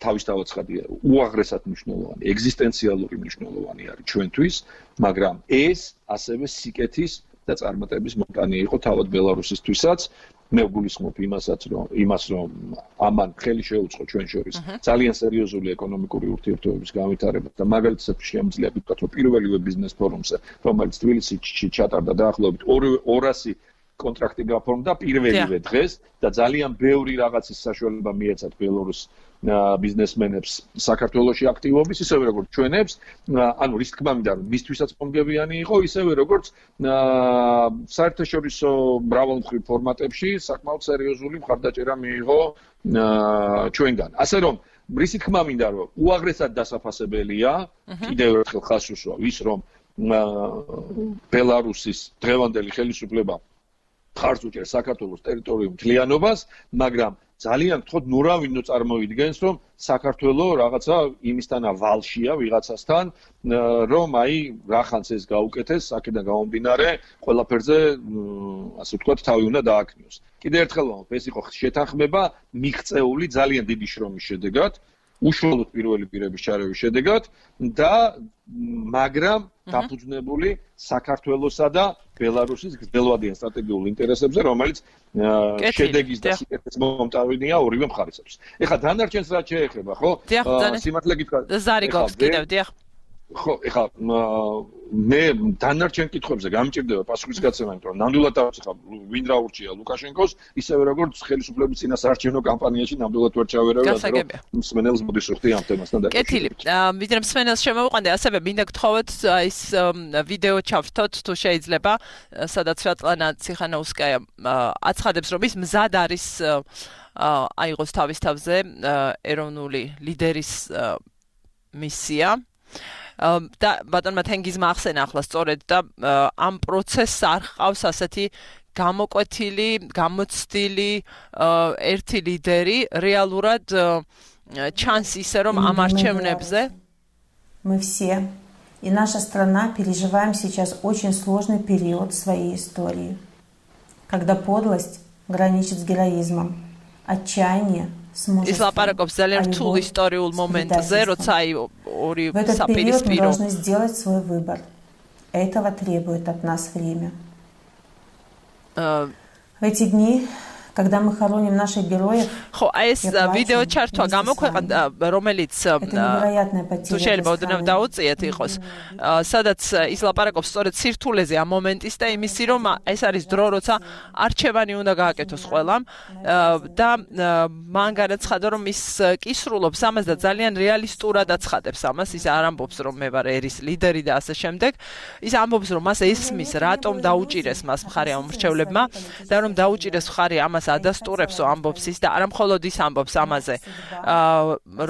თავისთავად ცხადია, უაღრესად მნიშვნელოვანი, ეგზისტენციალური მნიშვნელოვანი არის ჩვენთვის, მაგრამ ეს ასევე სიკეთის და წარმატების მომტანი იყო თავად ბელარუსისთვისაც. მე ვგულისხმობ იმას რომ ამან ხელი შეუწყო ჩვენ შორის ძალიან სერიოზული ეკონომიკური ურთიერთობების განვითარებას და მაგალითად შემიძლია ვთქვათ რომ პირველივე ბიზნეს ფორუმზე რომელიც თბილისში ჩატარდა დაახლოებით 200 კონტრაქტი გაფორმდა პირველივე დღეს და ძალიან ბევრი რაღაცის საშუალება მიეცათ ბელორუს ბიზნესმენებს საქართველოში აქტივობის, ისევე როგორც ჩვენებს, ანუ რის თქმა უნდა, მისთვისაც პონგებიანი იყო, ისევე როგორც საერთაშორისო მრავალმხრივ ფორმატებში საკმაოდ სერიოზული მხარდაჭერა მიიღო ჩვენგან. ასე რომ რისი თქმა მინდა რომ უაღრესად დასაფასებელია, კიდევ ერთხელ ხაზს უსვა ის რომ ბელარუსის დღევანდელი ხელისუფლება ხარს უჭერს საქართველოს ტერიტორიულ მთლიანობას, მაგრამ ძალიან გთხოვთ ნურავინო წარმოიდგენს რომ საქართველო რაღაცა იმისთანა ვალშია ვიღაცასთან რომ აი რახანს ეს გაუკეთეს აქედან გამომდინარე ყველაფერზე ასე ვთქვათ თავი უნდა დააქნიოს. კიდევ ერთხელ ვამბობ ეს იყო შეთანხმება მიღწეული ძალიან დიდი შრომის შედეგად უშუალოდ პირველი პირების ჩარევის შედეგად და მაგრამ დაფუძნებული საქართველოსა და ბელარუსის გრძელვადიან სტრატეგიულ ინტერესებზე, რომელიც შედეგის და სიკეთეს მომტავინია ორივე მხარისათვის. ეხლა დანარჩენს რაც შეეხება, ხო? სიმართლე გითხრა. ზარიგობს კიდევ, დიახ. ხო, ეხლა მე დანარჩენ კითხვებზე გამჭირდება პასუხისგაცემა, იმიტომ რომ ნამდვილად დავწეხა ვინ რა ურჩია ლუკაშენკოს, ისევე როგორც ხელისუფლების წინასაარჩევნო კამპანიაში ნამდვილად ვერ ჩავერავე, რომ მსმენელს მოდის ვხდი ამ თემასთან დაკავშირებით. კეთილი. ვიდრე მსმენელს შემოვიყვანდი, ასევე მინდა გთხოვოთ ის ვიდეო ჩავთოთ თუ შეიძლება, სადაც სვეტლანა ციხანოუსკაია აცხადებს, რომ ის მზად არის აიღოს თავის თავზე ეროვნული ლიდერის მისია. და ბატონმა თენგიზმა ახსენა ახლა სწორედ და ამ პროცესს არ ჰყავს ასეთი გამოკვეთილი, გამოცდილი ერთი ლიდერი, რეალურად ჩანს ისე რომ ამ არჩევნებზე мы все и наша страна переживаем сейчас очень сложный период своей истории, когда подлость граничит с героизмом, отчаяние ის ლაპარაკობს ძალიან რთულ ისტორიულ მომენტზე, როცა აი ორი საპირისპირო. Мы должны сделать свой выбор. Этого требует от нас время. В эти дни, когда мы хороним наших героев, ხო, ეს ვიდეო ჩართვა გამოქვეყნდა, რომელიც თუ შეიძლება ოდნავ დაუწიეთ იყოს, სადაც ის ლაპარაკობს სწორედ სირთულეზე ამ მომენტის და იმისი, რომ ეს არის დრო, როცა არჩევანი უნდა გააკეთოს ყველამ და მან განაცხადა, რომ ის კისრულობს ამას და ძალიან რეალისტურად აცხადებს ამას, ის არ ამბობს, რომ მე ვარ ერის ლიდერი და ასე შემდეგ, ის ამბობს, რომ მას ესმის, რატომ დაუჭირეს მას მხარი ამ მრჩევლებმა და რომ დაუჭირეს მხარი ამას ადასტურებსო ამბობს ის და არა მხოლოდ ის ამბობს ამაზე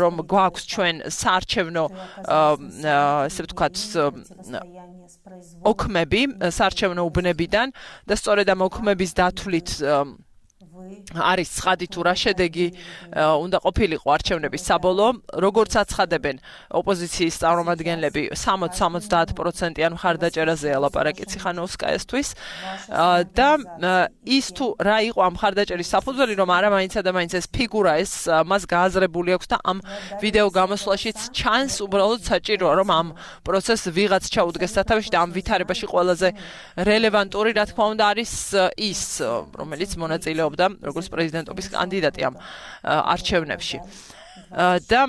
რომ გვაქვს ჩვენ საარჩევნო ესე ვთქვათ ოქმები საარჩევნო უბნებიდან და სწორედ ამ ოქმების დათვლით არის ცხადი თუ რა შედეგი უნდა ყოფილიყო არჩევნების საბოლოო, როგორც აცხადებენ ოპოზიციის წარმომადგენლები 60-70%-იან მხარდაჭერაზეა ლაპარაკი ციხანოვსკაიასთვის და ის თუ რა იყო ამ მხარდაჭერის საფუძველი, რომ არა მაინც და მაინც ეს ფიგურა ეს მას გააზრებული აქვს და ამ ვიდეო გამოსვლაშიც ჩანს უბრალოდ საჭიროა რომ ამ პროცესს ვიღაც ჩაუდგეს სათავეში და ამ ვითარებაში ყველაზე რელევანტური რა თქმა უნდა არის ის რომელიც მონაწილეობდა როგორც პრეზიდენტობის კანდიდატი ამ არჩევნებში. და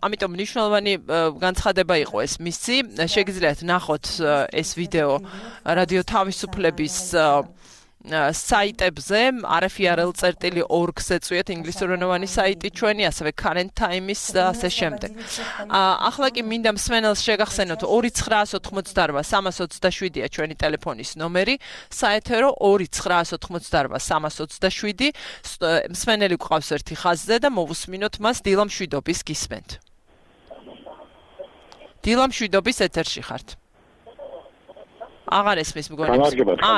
ამიტომ მნიშვნელოვანი განცხადება იყო ეს მისი. შეგიძლიათ ნახოთ ეს ვიდეო რადიო თავისუფლების საიტებზე rfrl.org-ზე წვიეთ ინგლისურენოვანი საიტი ჩვენი, ასევე Current Times და ასე შემდეგ. ახლა კი მინდა მსმენელს შეგახსენოთ 2988-327-ია ჩვენი ტელეფონის ნომერი, საეთერო 2988-327. მსმენელი გვყავს ერთი ხაზზე და მოვუსმინოთ მას დილა მშვიდობის გისმენთ. დილა მშვიდობის ეთერში ხართ. აღარ ესმის მგონი.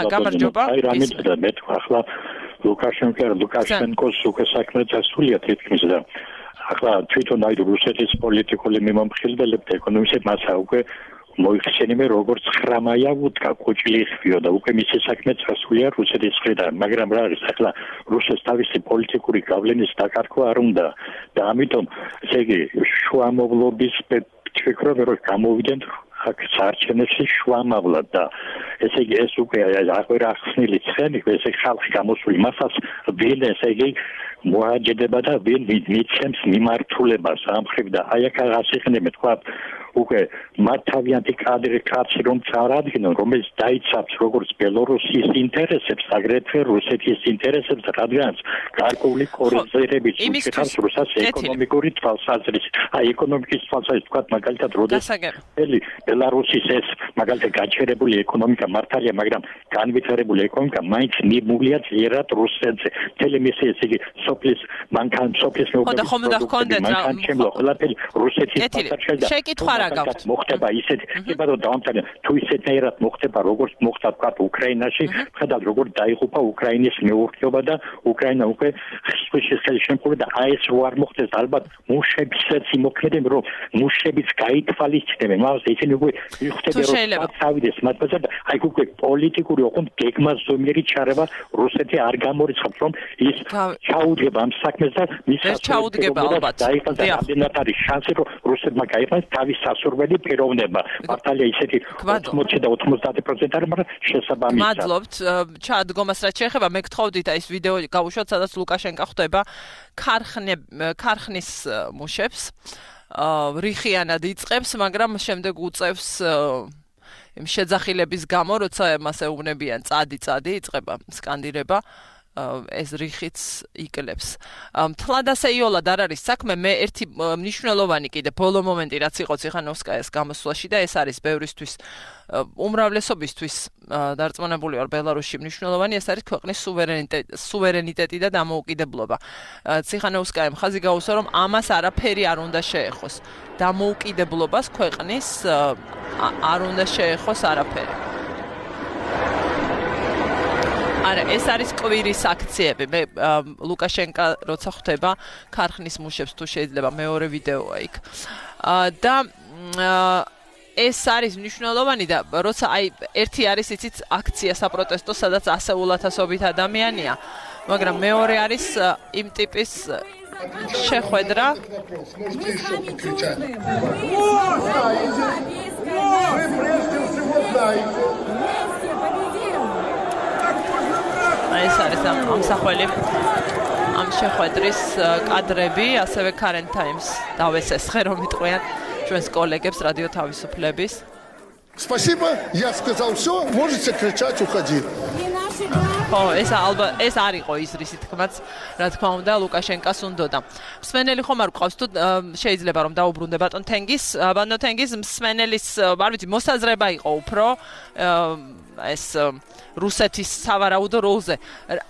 გამარჯობა. აი რა მეცდა მე თქვა ახლა ლუკაშენკოს უკვე საქმე დასულია თითქმის და ახლა თვითონ აი რუსეთის პოლიტიკული მიმომხილველებთან ეკონომისტებთან მასა უკვე მოიხსენიმე როგორც ხრამაია ვუდგა კუჭლიხვიო და უკვე მისი საქმე დასულია რუსეთის მხრიდან, მაგრამ რა არის ახლა რუსეთს თავისი პოლიტიკური გავლენის დაკარგვა არ უნდა და ამიტომ ესე იგი შუამავლობის ფიქრობ რომ გამოვიდნენ აქ საარჩევნებში შუამავლად და ესე იგი ეს უკვე აღარ ახსნილი ცხენი ესე ხალხი გამოსული მასას ვინ ესე იგი მოაჯდება და ვინ მიცემს მიმართულებას ამ ხრივ და აი აქ აღასიხნები თქვა უკვე მათ თავიანთი კაცი რომ წარადგენენ, რომელიც დაიცავს როგორც ბელორუსის ინტერესებს, აგრეთვე რუსეთის ინტერესებს, რადგანაც გარკვეული კორიზირებით უჭირავს რუსეთს ეკონომიკური თვალსაზრისით. ეკონომიკის თვალსაზრისით ვთქვათ, მაგალითად, როდესაც ბელარუსის ეს მაგალითად გაჩერებული ეკონომიკა მართალია, მაგრამ განვითარებული ეკონომიკა მაინც მიბმულია ძლიერად რუსეთზე. მთელი მისი ესე იგი სოფლის ყველაფერი რუსეთის პასაჟში შეკითხვა რა გაქვთ? მოხდება ისეთი, კიბადო დავამტკიცე, თუ ისეთნაირად მოხდება, როგორც მოხდა თქვა უკრაინაში, ხედავთ როგორ დაიღუპა უკრაინის მეურნეობა და უკრაინა უკვე ხსვისის ხელშემწყობი და აი ეს რო არ მოხდეს, ალბათ მუშებსაც იმოქმედებენ, რომ მუშებიც გაითვალისწინებენ, მაგრამ ისინი უკვე მიხვდნენ, რომ წავიდეს მათ ბაზარ და აი უკვე პოლიტიკური ოღონდ გეგმაზომიერი ჩარევა რუსეთი არ გამორიცხავს, რომ ის ჩაუდგება ამ საქმეს და მის ჩაუდგება ალბათ. რამდენად არის შანსი, რომ რუსეთმა გაიყვანოს თავის სასურველი პიროვნება. მართალია ისეთი 80 და 90% არის, მაგრამ შესაბამისად. მადლობთ ჩადგომას რაც შეეხება, მე გთხოვდით აი ეს ვიდეო გავუშვათ, სადაც ლუკაშენკა ხვდება ქარხნის მუშებს. რიხიანად იწყებს, მაგრამ შემდეგ უწევს იმ შეძახილების გამო, როცა მას ეუბნებიან წადი იწყება სკანდირება. ეს რიხიც იკლებს. თლადასეიოლად არ არის საქმე, მე ერთი მნიშვნელოვანი კიდე ბოლო მომენტი რაც იყო ციხანოვსკაიას გამოსვლაში და ეს არის ბევრისთვის უმრავლესობისთვის დარწმუნებული ვარ ბელარუსში მნიშვნელოვანი, ეს არის ქვეყნის სუვერენიტეტი და დამოუკიდებლობა. ციხანოვსკაიამ ხაზი გაუსვა, რომ ამას არაფერი არ უნდა შეეხოს. დამოუკიდებლობას ქვეყნის არ უნდა შეეხოს არაფერი. არა, ეს არის კვირის აქციები. მე ლუკაშენკა როცა ხვდება ქარხნის მუშებს თუ შეიძლება მეორე ვიდეოა იქ. და ეს არის მნიშვნელოვანი და როცა აი ერთი არის იცით აქცია საპროტესტო, სადაც ასეულათასობით ადამიანია, მაგრამ მეორე არის იმ ტიპის შეხვედრა. ეს არის ამსახველი ამ შეხვედრის კადრები, ასევე Current Times დავესესხე რომ იტყვიან ჩვენს კოლეგებს რადიო თავისუფლების. Спасибо, я сказал всё, можете кричать, уходи. ეს არ იყო ის რისი თქმაც, რა თქმა უნდა, ლუკაშენკას უნდოდა. მსმენელი ხომ არ გვყავს თუ შეიძლება რომ დაუბრუნდე ბატონ თენგის, ბატონ თენგის მსმენელის, არ ვიცი, მოსაზრება იყო უფრო ეს რუსეთის სავარაუდო როლზე.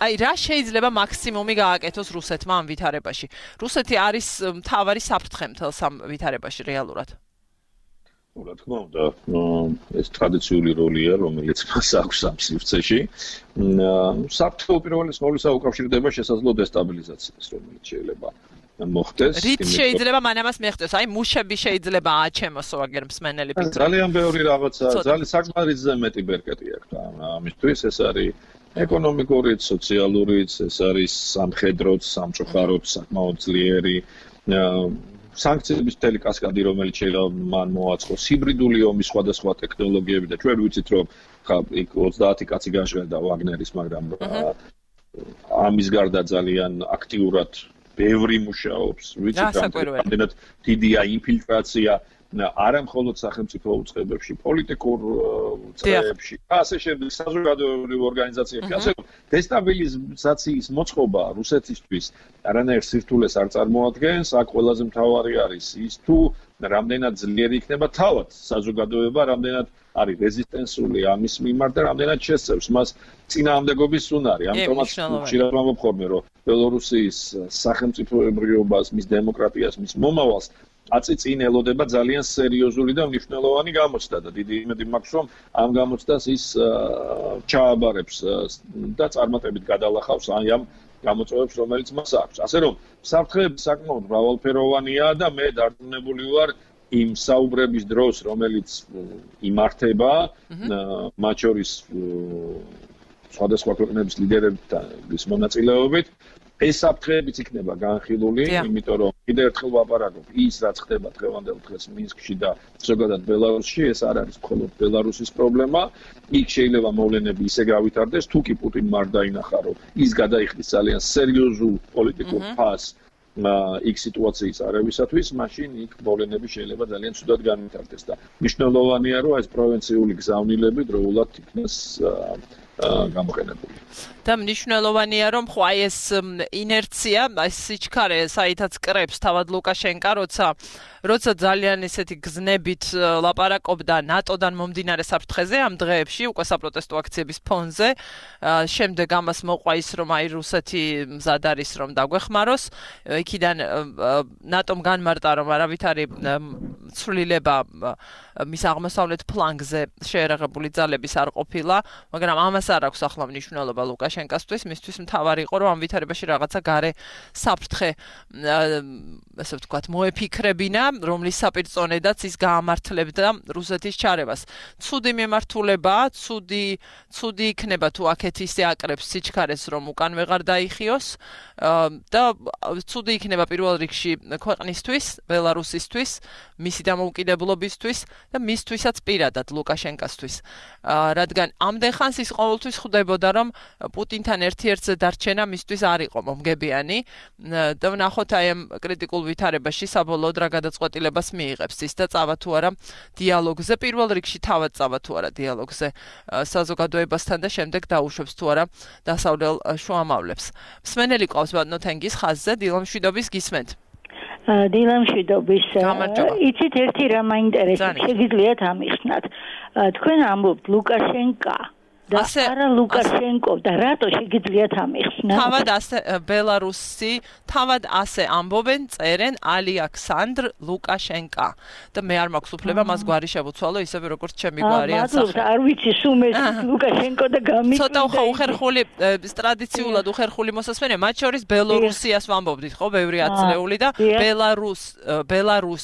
აი რა შეიძლება მაქსიმუმი გააკეთოს რუსეთმა ამ ვითარებაში? რუსეთი არის მთავარი საფრთხე მთელს ამ ვითარებაში რეალურად. რა თქმა უნდა, ეს ტრადიციული როლია, რომელიც მას აქვს ამ სივრცეში. საფრთხე უპირველეს ყოვლისა უკავშირდება შესაძლო დესტაბილიზაციას, რომელიც შეიძლება მოხდეს. რით შეიძლება მანამას მეხდეს? აი მუშები შეიძლება აჩემოსო აგერ მსმენელი პიტრო. ძალიან ბევრი რაღაცა, ძალიან საკმარისზე მეტი ბერკეტი აქვს ამისთვის. ეს არის ეკონომიკურიც, სოციალურიც, ეს არის სამხედროც, სამწუხაროც, საკმაოდ ძლიერი სანქციების მთელი კასკადი, რომელიც შეიძლება მან მოაწყოს, ჰიბრიდული ომის სხვადასხვა ტექნოლოგიები და ჩვენ ვიცით, რომ იქ 30 კაცი გაჟღერდა ვაგნერის, მაგრამ ამის გარდა ძალიან აქტიურად ბევრი მუშაობს, ვიცით, რამდენად დიდია ინფილტრაცია არა მხოლოდ სახელმწიფო უწყებებში, პოლიტიკურ უწყებებში, ასე შემდეგ, საზოგადოებრივ ორგანიზაციებში, ასე დესტაბილიზაციის მოწყობა რუსეთისთვის არანაირ სირთულეს არ წარმოადგენს, აქ ყველაზე მთავარი არის ის თუ რამდენად ძლიერი იქნება თავად საზოგადოება, რამდენად არის რეზისტენსული ამის მიმართ და რამდენად შესწევს მას წინააღმდეგობის უნარი. ამიტომაც ხშირად ვამბობ, რომ ბელორუსიის სახელმწიფოებრიობას, მის დემოკრატიას, მის მომავალს აწიწინ ელოდება ძალიან სერიოზული და მნიშვნელოვანი გამოცდა და დიდი იმედი მაქვს, რომ ამ გამოცდას ის ჩააბარებს და წარმატებით გადალახავს ამ გამოწვევებს, რომელიც მას აქვს. ასე რომ, საფრთხეები საკმაოდ მრავალფეროვანია და მე დარწმუნებული ვარ იმ საუბრების დროს, რომელიც იმართება, მათ შორის სხვადასხვა ქვეყნების ლიდერების მონაწილეობით, ეს საფრთხეებიც იქნება განხილული, იმიტომ რომ კიდევ ერთხელ ვაპარაკობ, ის რაც ხდება დღევანდელ დღეს მინსკში და ზოგადად ბელარუსში, ეს არ არის მხოლოდ ბელარუსის პრობლემა. იქ შეიძლება მოვლენები ისე გავითარდეს, თუ კი პუტინმა არ დაინახა, რომ ის გადაიხდის ძალიან სერიოზულ პოლიტიკურ ფასს იქ სიტუაციის არევისათვის, მაშინ იქ მოვლენები შეიძლება ძალიან ცუდად განვითარდეს და მნიშვნელოვანია, რომ ეს პროვინციული გზავნილები დროულად იქნეს გამოყენებული. და მნიშვნელოვანია, რომ ხო აი ეს ინერცია, აი სიჩქარე, საითაც კრებს თავად ლუკაშენკა, როცა ძალიან ესეთი გზნებით ლაპარაკობდა ნატოდან მომდინარე საფრთხეზე ამ დღეებში, უკვე საპროტესტო აქციების ფონზე, შემდეგ ამას მოყვა ის, რომ აი რუსეთი მზად არის, რომ დაგვეხმაროს, იქიდან ნატომ განმარტა, რომ არავითარი ცვლილება მის აღმოსავლეთ ფლანგზე შეერაღებული ძალების არ ყოფილა, მაგრამ ამას არ აქვს ახლა მნიშვნელობა ლუკაშენკასთვის, მისთვის მთავარი იყო, რომ ამ ვითარებაში რაღაცა გარე საფრთხე, ასე ვთქვათ, მოეფიქრებინა, რომლის საპირწონედაც ის გაამართლებდა რუსეთის ჩარევას. ცუდი მიმართულება, ცუდი იქნება თუ აქეთ ისე აკრებს სიჩქარეს, რომ უკან ვეღარ დაიხიოს და ცუდი იქნება პირველ რიგში ქვეყნისთვის, ბელარუსისთვის, მისი დამოუკიდებლობისთვის და მისთვისაც პირადად ლუკაშენკასთვის. რადგან ამდენ ხანს ის ყოველთვის ხვდებოდა, რომ პუტინთან ერთ-ერთზე დარჩენა მისთვის არ იყო მომგებიანი და ვნახოთ აი ამ კრიტიკულ ვითარებაში საბოლოოდ რა გადაწყვეტილებას მიიღებს ის და წავა თუ არა დიალოგზე, პირველ რიგში თავად წავა თუ არა დიალოგზე საზოგადოებასთან და შემდეგ დაუშვებს თუ არა დასავლელ შუამავლებს. მსმენელი ყავს ბატონო თენგის ხაზზე, დილამშვიდობის გისმენთ. დილამშვიდობის. იცით ერთი რა მაინტერესებს, შეგიძლიათ ამიხსნათ. თქვენ ამბობთ ლუკაშენკა და არა ლუკაშენკო და რატო შეგიძლიათ ამიხსნათ? თავად ასე ბელარუსი, თავად ასე ამბობენ, წერენ ალექსანდრ ლუკაშენკა და მე არ მაქვს უფლება მას გვარი შევუცვალო ისევე როგორც ჩემი გვარი ასახე. არ ვიცი სუმეს ლუკაშენკო და გამიკვირდა. ცოტა უხერხული ტრადიციულად უხერხული მოსასმენია, მათ შორის ბელორუსიას ვამბობდით, ხო, ბევრი ათწლეული და ბელარუს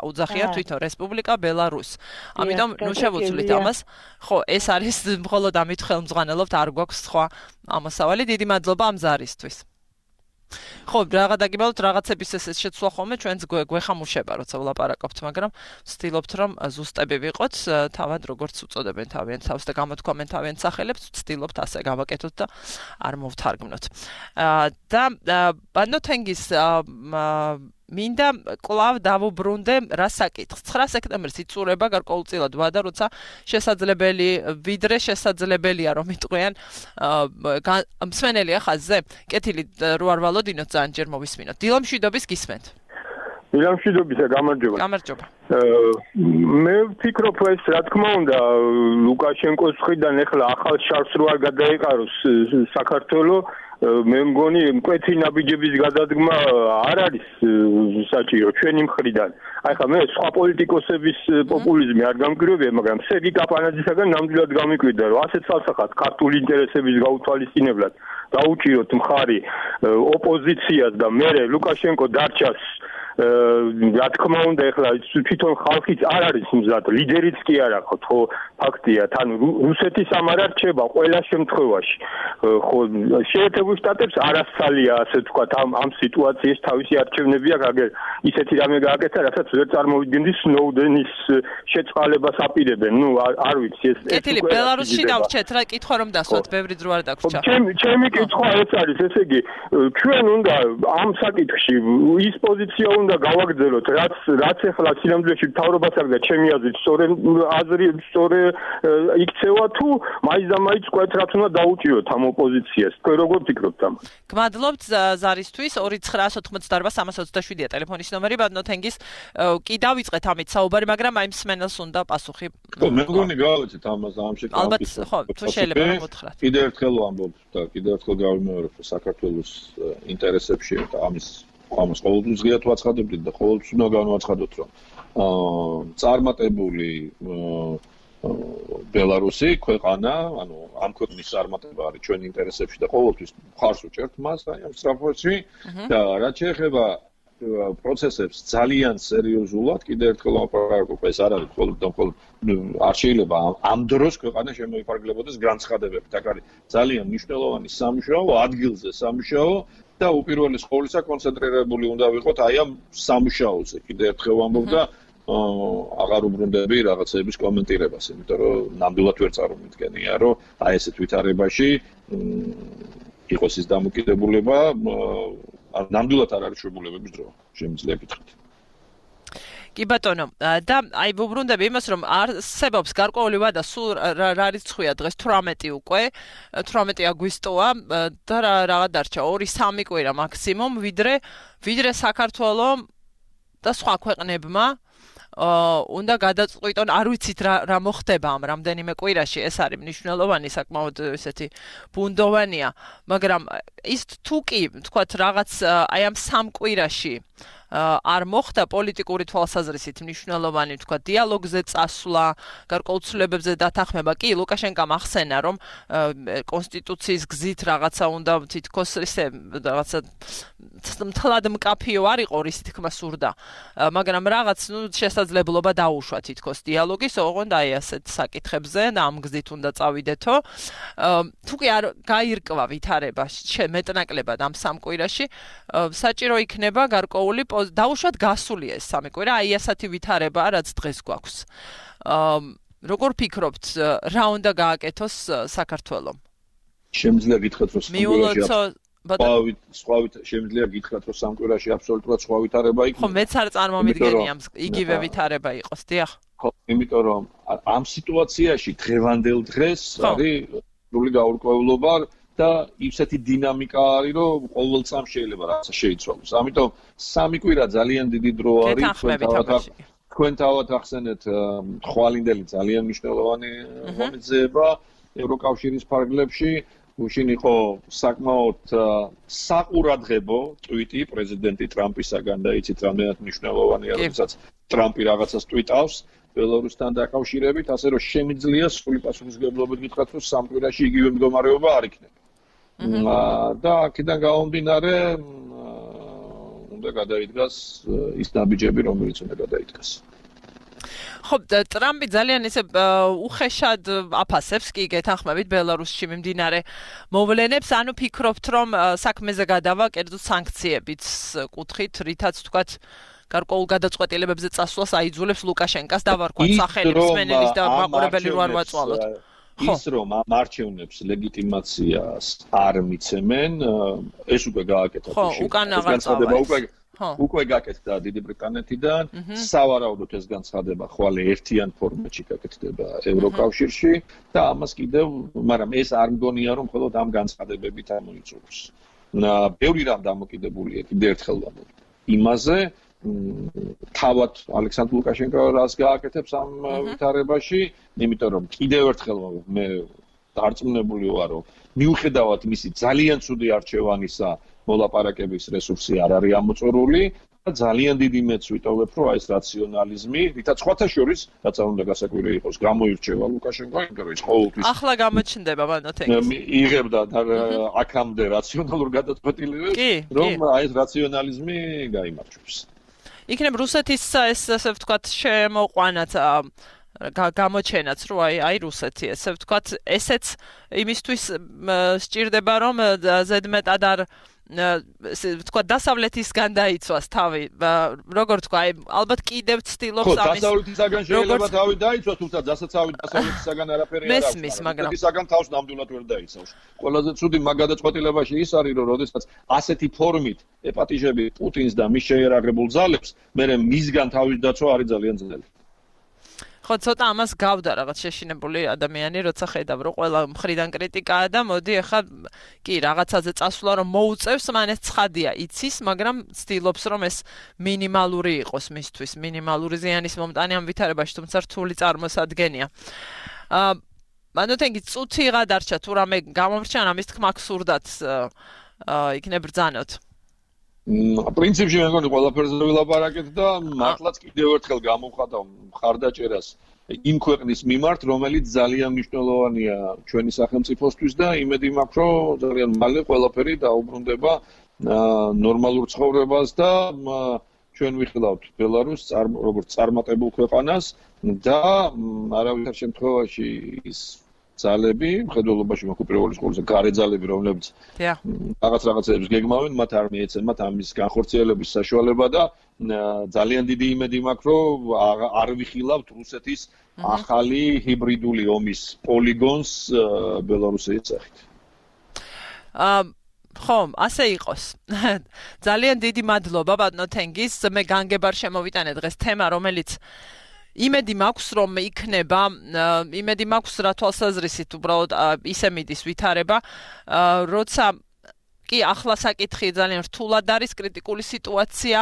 უძახიან თვითონ რესპუბლიკა ბელარუს. ამიტომ ნუ შევუცვლით ამას. ხო, ეს არის მხოლოდ ამით ხელმძღვანელობთ, არ გვაქვს სხვა ამოსავალი. დიდი მადლობა ამ ზარისთვის. ხო, რაღაც დაგიბალოთ, რაღაცების ეს შეცვლა ხოლმე ჩვენს გვეხამუშება, როცა ვლაპარაკობთ, მაგრამ ვცდილობთ, რომ ზუსტები ვიყოთ, თავად როგორც უწოდებენ თავიანთ თავს და გამოთქვამენ თავიანთ სახელებს, ვცდილობთ ასე გავაკეთოთ და არ მოვთარგმნოთ. და ბატონო თენგის მინდა კლავ დავუბრუნდე რა საკითხს. 9 სექტემბერს იწურება გარკვეულწილად ვადა, როცა შესაძლებელი, ვიდრე შესაძლებელია რომ იტყვიან მსმენელია ხაზზე. კეთილი რო არ ვალოდინოთ, ძალიან ჯერ მოვისმინოთ. დილამშვიდობის გისმენთ. დილამშვიდობისა, გამარჯობა. გამარჯობა. მე ვფიქრობ ეს რა თქმა უნდა ლუკაშენკოს მხრიდან ეხლა ახალ შარს რო არ გადაეყაროს საქართველო, მე მგონი მკვეთი ნაბიჯების გადადგმა არ არის საჭირო ჩვენი მხრიდან. აი ხა მე სხვა პოლიტიკოსების პოპულიზმი არ გამკვირვებია, მაგრამ სერგი კაპანაძისაგან ნამდვილად გამიკვირდა, რომ ასეთ falsafat ქართული ინტერესების გაუთვალისწინებლად დაუჭიროთ მხარი ოპოზიციას და მე ლუკაშენკო დარჩას რა თქმა უნდა ეხლა თვითონ ხალხიც არ არის მზად, ლიდერიც კი არა ხო ფაქტია, თან რუსეთის ამ არ არჩება ყველა შემთხვევაში. ხო შეერთებულ შტატებს არასწალია ასე ვთქვათ ამ სიტუაციის თავისი არჩევნები აქვს, აგერ ისეთი რამე გააკეთა, რასაც ვერ წარმოვიდგენდი სნოუდენის შეწყალებას აპირებენ. ნუ არ ვიცი ეს კეთილი ბელარუსში დავრჩეთ რა კითხვა რომ დასვათ, ბევრი დრო არ დაგვრჩა. ჩემი კითხვა ეს არის, ესე იგი ჩვენ უნდა ამ საკითხში ის პოზიცია უნდა გავაგრძელოთ, რაც ახლა სინამდვილეში მთავრობას აქვს და ჩემი აზრით სწორე იქცევა თუ მაინც და მაინც კვეთრად უნდა დაუჭიროთ ამ ოპოზიციას. თქვენ როგორ ფიქრობთ ამას? გმადლობთ ზარისთვის 2988327-ია ტელეფონის ნომერი, ბატონო თენგის კი დავიწყეთ ამით საუბარი, მაგრამ აი მსმენელს უნდა პასუხი. ხო, მე მგონი გავაკეთეთ ამას ამ შეკითხვის. ალბათ ხო, თუ შეიძლება მოგთხრათ. კიდევ ერთხელ ვამბობ და კიდევ ერთხელ გავიმეორებ, რომ საქართველოს ინტერესებში და ამას ყოველთვის ღიად ვაცხადებდით და ყოველთვის უნდა განვაცხადოთ, რომ წარმატებული ბელარუსი ქვეყანა, ანუ ამ ქვეყნის წარმატება არის ჩვენ ინტერესებში და ყოველთვის მხარს ვუჭერთ მას აი ამ სწრაფში და რაც შეეხება პროცესებს ძალიან სერიოზულად კიდევ ერთხელ ვაპარაკობ, ეს არ არის მხოლოდ არ შეიძლება ამ დროს ქვეყანა შემოიფარგლებოდეს განცხადებებით. აქ არის ძალიან მნიშვნელოვანი სამუშაო, ადგილზე სამუშაო და უპირველეს ყოვლისა კონცენტრირებული უნდა ვიყოთ აი ამ სამუშაოზე. კიდევ ერთხელ ვამბობ და აღარ უბრუნდები რაღაცების კომენტირებას, იმიტომ რომ ნამდვილად ვერ წარმოვიდგენია, რომ აი ესეთ ვითარებაში იყოს ის დამოკიდებულება ნამდვილად არ არის შეგულებების დრო, შემიძლია გითხრათ. კი ბატონო, და აი ვუბრუნდები იმას, რომ არსებობს გარკვეული ვადა, სულ რა რიცხვია დღეს 18 უკვე, 18 აგვისტოა და რაღაც დარჩა 2-3 კვირა მაქსიმუმ, ვიდრე საქართველოს და სხვა ქვეყნებმა უნდა გადაწყვიტონ, არ ვიცით რა მოხდება ამ რამდენიმე კვირაში, ეს არის მნიშვნელოვანი, საკმაოდ ესეთი ბუნდოვანია, მაგრამ ის თუ კი, თქვათ, რაღაც აი ამ 3 კვირაში არ მოხდა პოლიტიკური თვალსაზრისით მნიშვნელოვანი, თქვა, დიალოგზე წასვლა, გარკვეულწლებებზე დათანხმება. კი, ლუკაშენკომ ახსენა, რომ კონსტიტუციის გზით რაღაცა უნდა თითქოს ისე რაღაცა მთლად მკაფიო არ იყო, რის თქმა სურდა. მაგრამ რაღაც, შესაძლებლობა დაუშვა თითქოს დიალოგის, ოღონდ აი ასეთ საკითხებზე და ამ გზით უნდა წავიდეთო. თუ კი არ გაირკვა ვითარება მეტნაკლებად ამ 3 კვირაში, საჭირო იქნება გარკვეული დაუშვათ გასულია ეს 3 კვირა, აი ასეთი ვითარება, რაც დღეს გვაქვს. როგორ ფიქრობთ, რა უნდა გააკეთოს საქართველომ? შემიძლია გითხრათ, რომ შემიძლია გითხრათ, რომ 3 კვირაში აბსოლუტურად სხვა ვითარება იქნება. ხო, მეც არ წარმომიდგენია იგივე ვითარება იყოს, დიახ. ხო, იმიტომ რომ ამ სიტუაციაში დღევანდელ დღეს არის სრული გაურკვევლობა და ისეთი დინამიკა არის, რომ ყოველ წამს შეიძლება რაღაცა შეიცვალოს. ამიტომ 3 კვირა ძალიან დიდი დრო არის. თქვენ თავად ახსენეთ ხვალინდელი ძალიან მნიშვნელოვანი ღონისძიება ევროკავშირის ფარგლებში. გუშინ იყო საკმაოდ საყურადღებო ტვიტი პრეზიდენტი ტრამპისაგან და იცით რამდენად მნიშვნელოვანია, როდესაც ტრამპი რაღაცას ტვიტავს ბელორუსთან დაკავშირებით, ასე რომ შემიძლია სრული პასუხისმგებლობით გითხრათ, რომ 3 კვირაში იგივე მდგომარეობა არ იქნება. და აქედან გამომდინარე უნდა გადაიდგას ის ნაბიჯები, რომელიც უნდა გადაიდგას. ხო, ტრამპი ძალიან ისე უხეშად აფასებს კი გეთანხმებით ბელარუსში მიმდინარე მოვლენებს, ანუ ფიქრობთ, რომ საქმეზე გადავა კერძო სანქციებით კუთხით, რითაც თქვათ გარკვეულ გადაწყვეტილებებზე წასვლას აიძულებს ლუკაშენკას დავარქვათ სახელი მსმენელის და მაყურებელი რო არ ვაწვალოთ. ის რომ ამ არჩევნებს ლეგიტიმაციას არ მიცემენ, ეს უკვე გააკეთა უკვე გაკეთდა დიდი ბრიტანეთიდან, სავარაუდოდ ეს განცხადება ხვალ ერთიან ფორმატში გაკეთდება ევროკავშირში და ამას კიდევ, მაგრამ ეს არ მგონია რომ მხოლოდ ამ განცხადებებით ამოიწუროს. ბევრი რამ დამოკიდებულია კიდევ ერთხელ ვამბობ იმაზე, თავად ალექსანდრ ლუკაშენკო რას გააკეთებს ამ ვითარებაში, იმიტომ რომ კიდევ ერთხელ მე დარწმუნებული ვარ, რომ მიუხედავად მისი ძალიან ცუდი არჩევანისა, მოლაპარაკების რესურსი არ არის ამოწურული და ძალიან დიდი მეც ვიტოვებ, რომ ეს რაციონალიზმი, რითაც სხვათა შორის, რაც უნდა გასაკვირი იყოს, გამოირჩევა ლუკაშენკო, იმიტომ რომ ის ყოველთვის ახლა გამოჩნდება მანოთენგის. იღებდა აქამდე რაციონალურ გადაწყვეტილებებს, რომ აი ეს რაციონალიზმი გაიმარჯვებს. იქნებ რუსეთის ეს ასე ვთქვათ შემოყვანათ გამოჩენაც, რომ აი რუსეთი ესე ვთქვათ, ესეც იმისთვის სჭირდება, რომ ზედმეტად არ ვთქვათ დასავლეთისგან დაიცვას თავი. როგორ თქვა, ალბათ კიდევ ცდილობს ამის. დასავლეთისგან შეიძლება თავი დაიცვას, თუმცა დასავლეთისგან არაფერი არ აქვს. მაგრამ რუსეთისგან თავს ნამდვილად ვერ დაიცავს. ყველაზე ცუდი მაგ გადაწყვეტილებაში ის არის, რომ როდესაც ასეთი ფორმით ეპატიჟები პუტინს და მის შეიარაღებულ ძალებს, მერე მისგან თავის დაცვა არის ძალიან ძნელი. ხო, ცოტა ამას გავდა რაღაც შეშინებული ადამიანი, როცა ხედავ, რომ ყველა მხრიდან კრიტიკაა და მოდი ახლა კი რაღაცაზე წასვლა რომ მოუწევს, მან ეს ცხადია, იცის, მაგრამ ცდილობს რომ ეს მინიმალური იყოს მისთვის, მინიმალური ზიანის მომტანი ამ ვითარებაში, თუმცა რთული წარმოსადგენია. მანოთენგი წუთი გადარჩა, თუ რამე გამომრჩა, ამის თქმა გსურდათ იქნებ ბრძანოთ. პრინციპში მე მგონი ყველაფერზე ვილაპარაკეთ და მართლაც კიდევ ერთხელ გამოვხატავ მხარდაჭერას იმ ქვეყნის მიმართ, რომელიც ძალიან მნიშვნელოვანია ჩვენი სახელმწიფოსთვის და იმედი მაქვს, რომ ძალიან მალე ყველაფერი დაუბრუნდება ნორმალურ ცხოვრებას და ჩვენ ვიხილავთ ბელარუსს როგორც წარმატებულ ქვეყანას და არავითარ შემთხვევაში ის ძალები, მხედველობაში მაქვს პირველი სკოლის გარე ძალები, რომლებიც რაღაცებს გეგმავენ, მათ არ მიეცემათ ამის განხორციელების საშუალება და ძალიან დიდი იმედი მაქვს, რომ არ ვიხილავთ რუსეთის ახალი ჰიბრიდული ომის პოლიგონს ბელარუსის სახით. ხომ, ასე იყოს. ძალიან დიდი მადლობა ბატონო თენგის. მე განგებარ შემოვიტანე დღეს თემა, რომელიც იმედი მაქვს რომ იქნება, იმედი მაქვს რა თვალსაზრისით უბრალოდ ისე მიდის ვითარება, როცა კი ახლა საკითხი ძალიან რთულად არის, კრიტიკული სიტუაცია,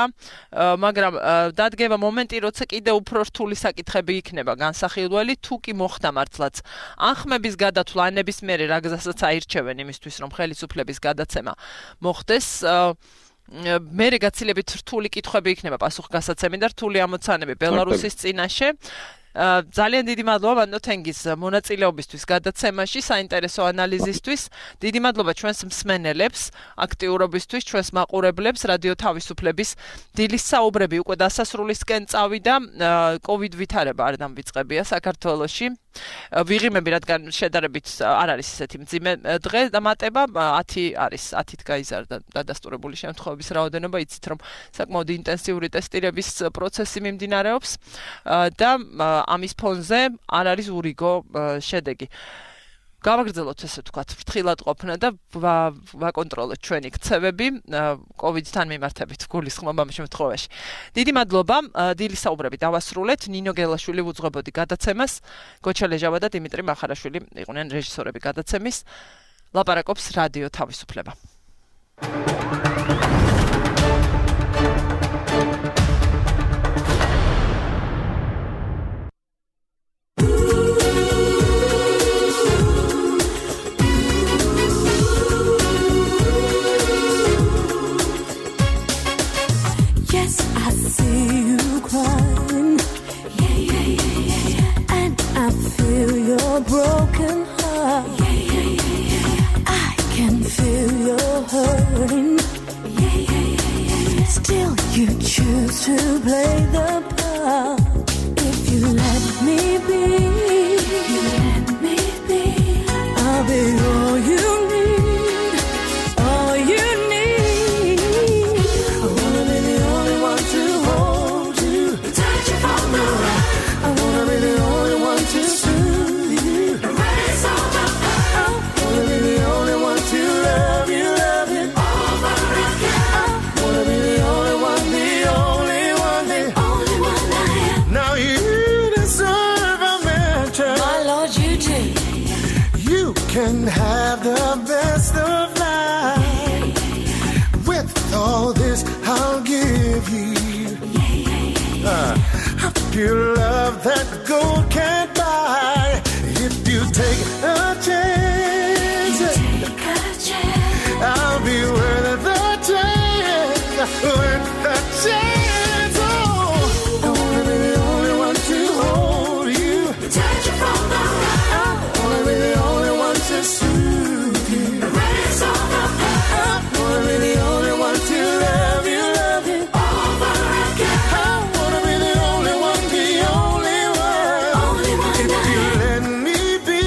მაგრამ დადგება მომენტი, როცა კიდე უფრო რთული საკითხები იქნება განსახილველი, თუ კი მოხდა მართლაც ან ხმების გადათვლა, ან ნებისმიერი რა გზასაც აირჩევენ იმისთვის, რომ ხელისუფლების გადაცემა მოხდეს, მერე გაცილებით რთული კითხვები იქნება პასუხგასაცემი და რთული ამოცანები ბელარუსის წინაშე. ძალიან დიდი მადლობა ბატონო თენგის მონაწილეობისთვის გადაცემაში, საინტერესო ანალიზისთვის. დიდი მადლობა ჩვენს მსმენელებს, აქტიურობისთვის, ჩვენს მაყურებლებს, რადიო თავისუფლების დილის საუბრები უკვე დასასრულისკენ წავიდა. COVID ვითარება არ დამვიწყებია საქართველოში. ვიღიმები, რადგან შედარებით არ არის ისეთი მძიმე დღე და მატება 10 არის, 10-ით გაიზარდა დადასტურებული შემთხვევების რაოდენობა, იცით რომ საკმაოდ ინტენსიური ტესტირების პროცესი მიმდინარეობს და ამის ფონზე არ არის ურიგო შედეგი. გავაგრძელოთ ესე ვთქვათ, ფრთხილად ყოფნა და ვაკონტროლოთ ჩვენი ქცევები COVID-თან მიმართებით გულისხმობა ამ შემთხვევაში. დიდი მადლობა, დილის საუბრები დავასრულეთ. ნინო გელაშვილი უძღვებოდი გადაცემას, გოჩა ლეჟავა და დიმიტრი მახარაშვილი იყვნენ რეჟისორები გადაცემის. ლაპარაკობს რადიო თავისუფლება. Broken heart. I can feel your hurting. Still you choose to play the part. If you let me be, I'll be all you need, all you need. I wanna be the only one to hold you, touch you from the right. I wanna be the only one to can have the best of life. With all this I'll give you a pure love that gold can't buy. If you take a chance, I'll be worth the chance, worth the chance. Oh, I wanna be the only one to hold you, touch you from the right. I wanna be the only one to soothe you, raise all the pain. I wanna be the only one to love you over again. I wanna be the only one, the only one. If you let me be,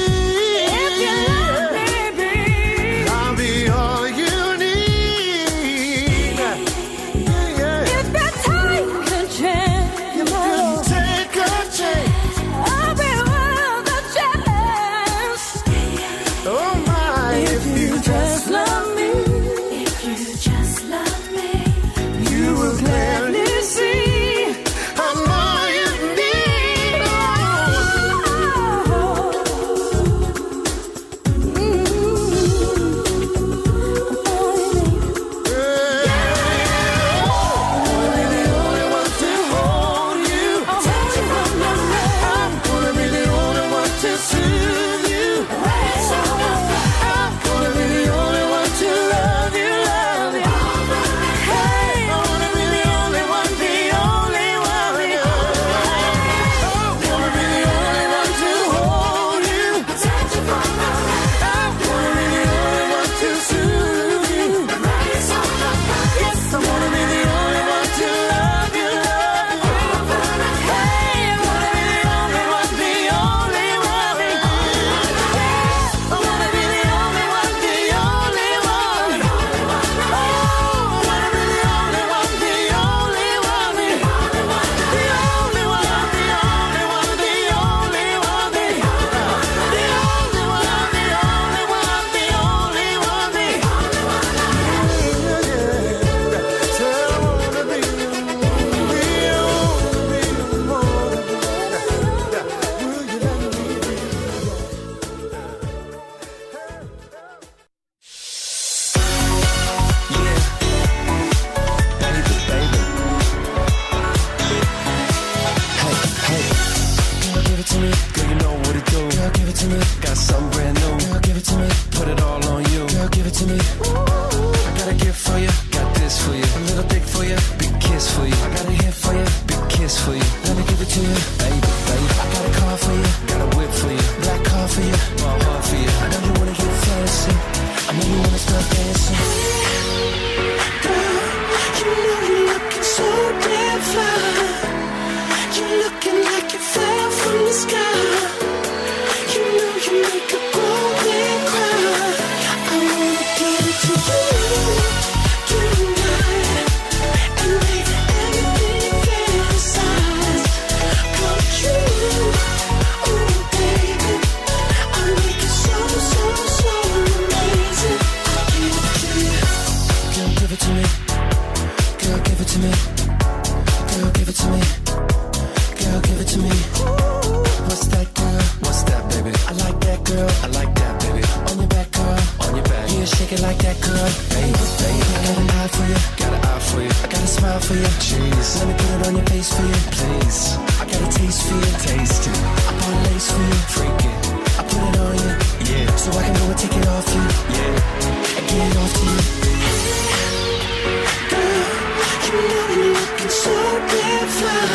I'll be all you need. If you for you, a little dick for you, big kiss for you. I got a hit for you, big kiss for you. Let me give it to you, baby, baby. I got a car for you, got a whip for you, black car for you, my heart for you. I know you wanna get fancy, I know you wanna start dancing. Girl, you know you're looking so damn fly. You're looking like you fell from the sky. You know you make a grown man cry. I wanna give it to you tonight and make everything you fantasize come true. Oh baby, I make it so amazing. I'll give it to you. Girl, give it to me. Girl, give it to me. Girl, give it to me. Girl, give it to me. What's that, girl? What's that, baby? I like that, girl. I like that, baby. On your back, girl. On your back. Yeah, shake it like that, girl. Baby, baby. I got an eye for you. Got an eye for you. I got a smile for you. Jeez. Let me put it on your face for you. Please. I got a taste for you. Taste it. I bought a lace for you. Freak it. I put it on you. Yeah. So I can go and take it off you. Yeah. And get it off to you. Girl, you know you're looking so damn fly.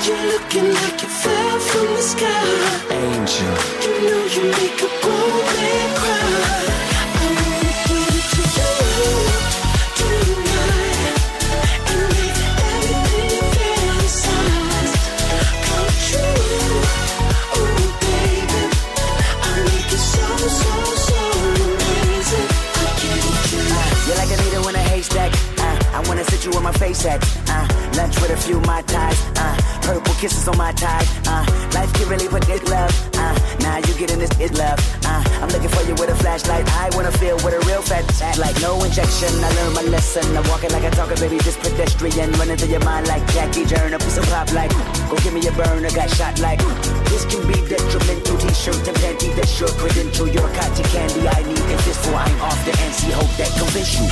You're looking like you fell from the sky. Angel. You know you make a grown man cry. I wanna give it to you tonight and make everything you fantasize come true. Oh baby, I make it so amazing. I give it to you. You're like a needle in a haystack. I wanna sit you where my face at. Lunch with a few Mai Tais. Purple kisses on my tie. Life can really put this love. Now you getting this is love. I'm looking for you with a flashlight. I wanna feel with a real fat act. Like no injection. I learned my lesson. I'm walking like a talker, baby. This pedestrian running through your mind like Jackie Turner. Piece of pop like. Go give me a burner. Got shot like. This can be detrimental. T-shirt and panty. That's your credential. Your cotton candy. I need it this for I'm off the NC. Hope that convince you.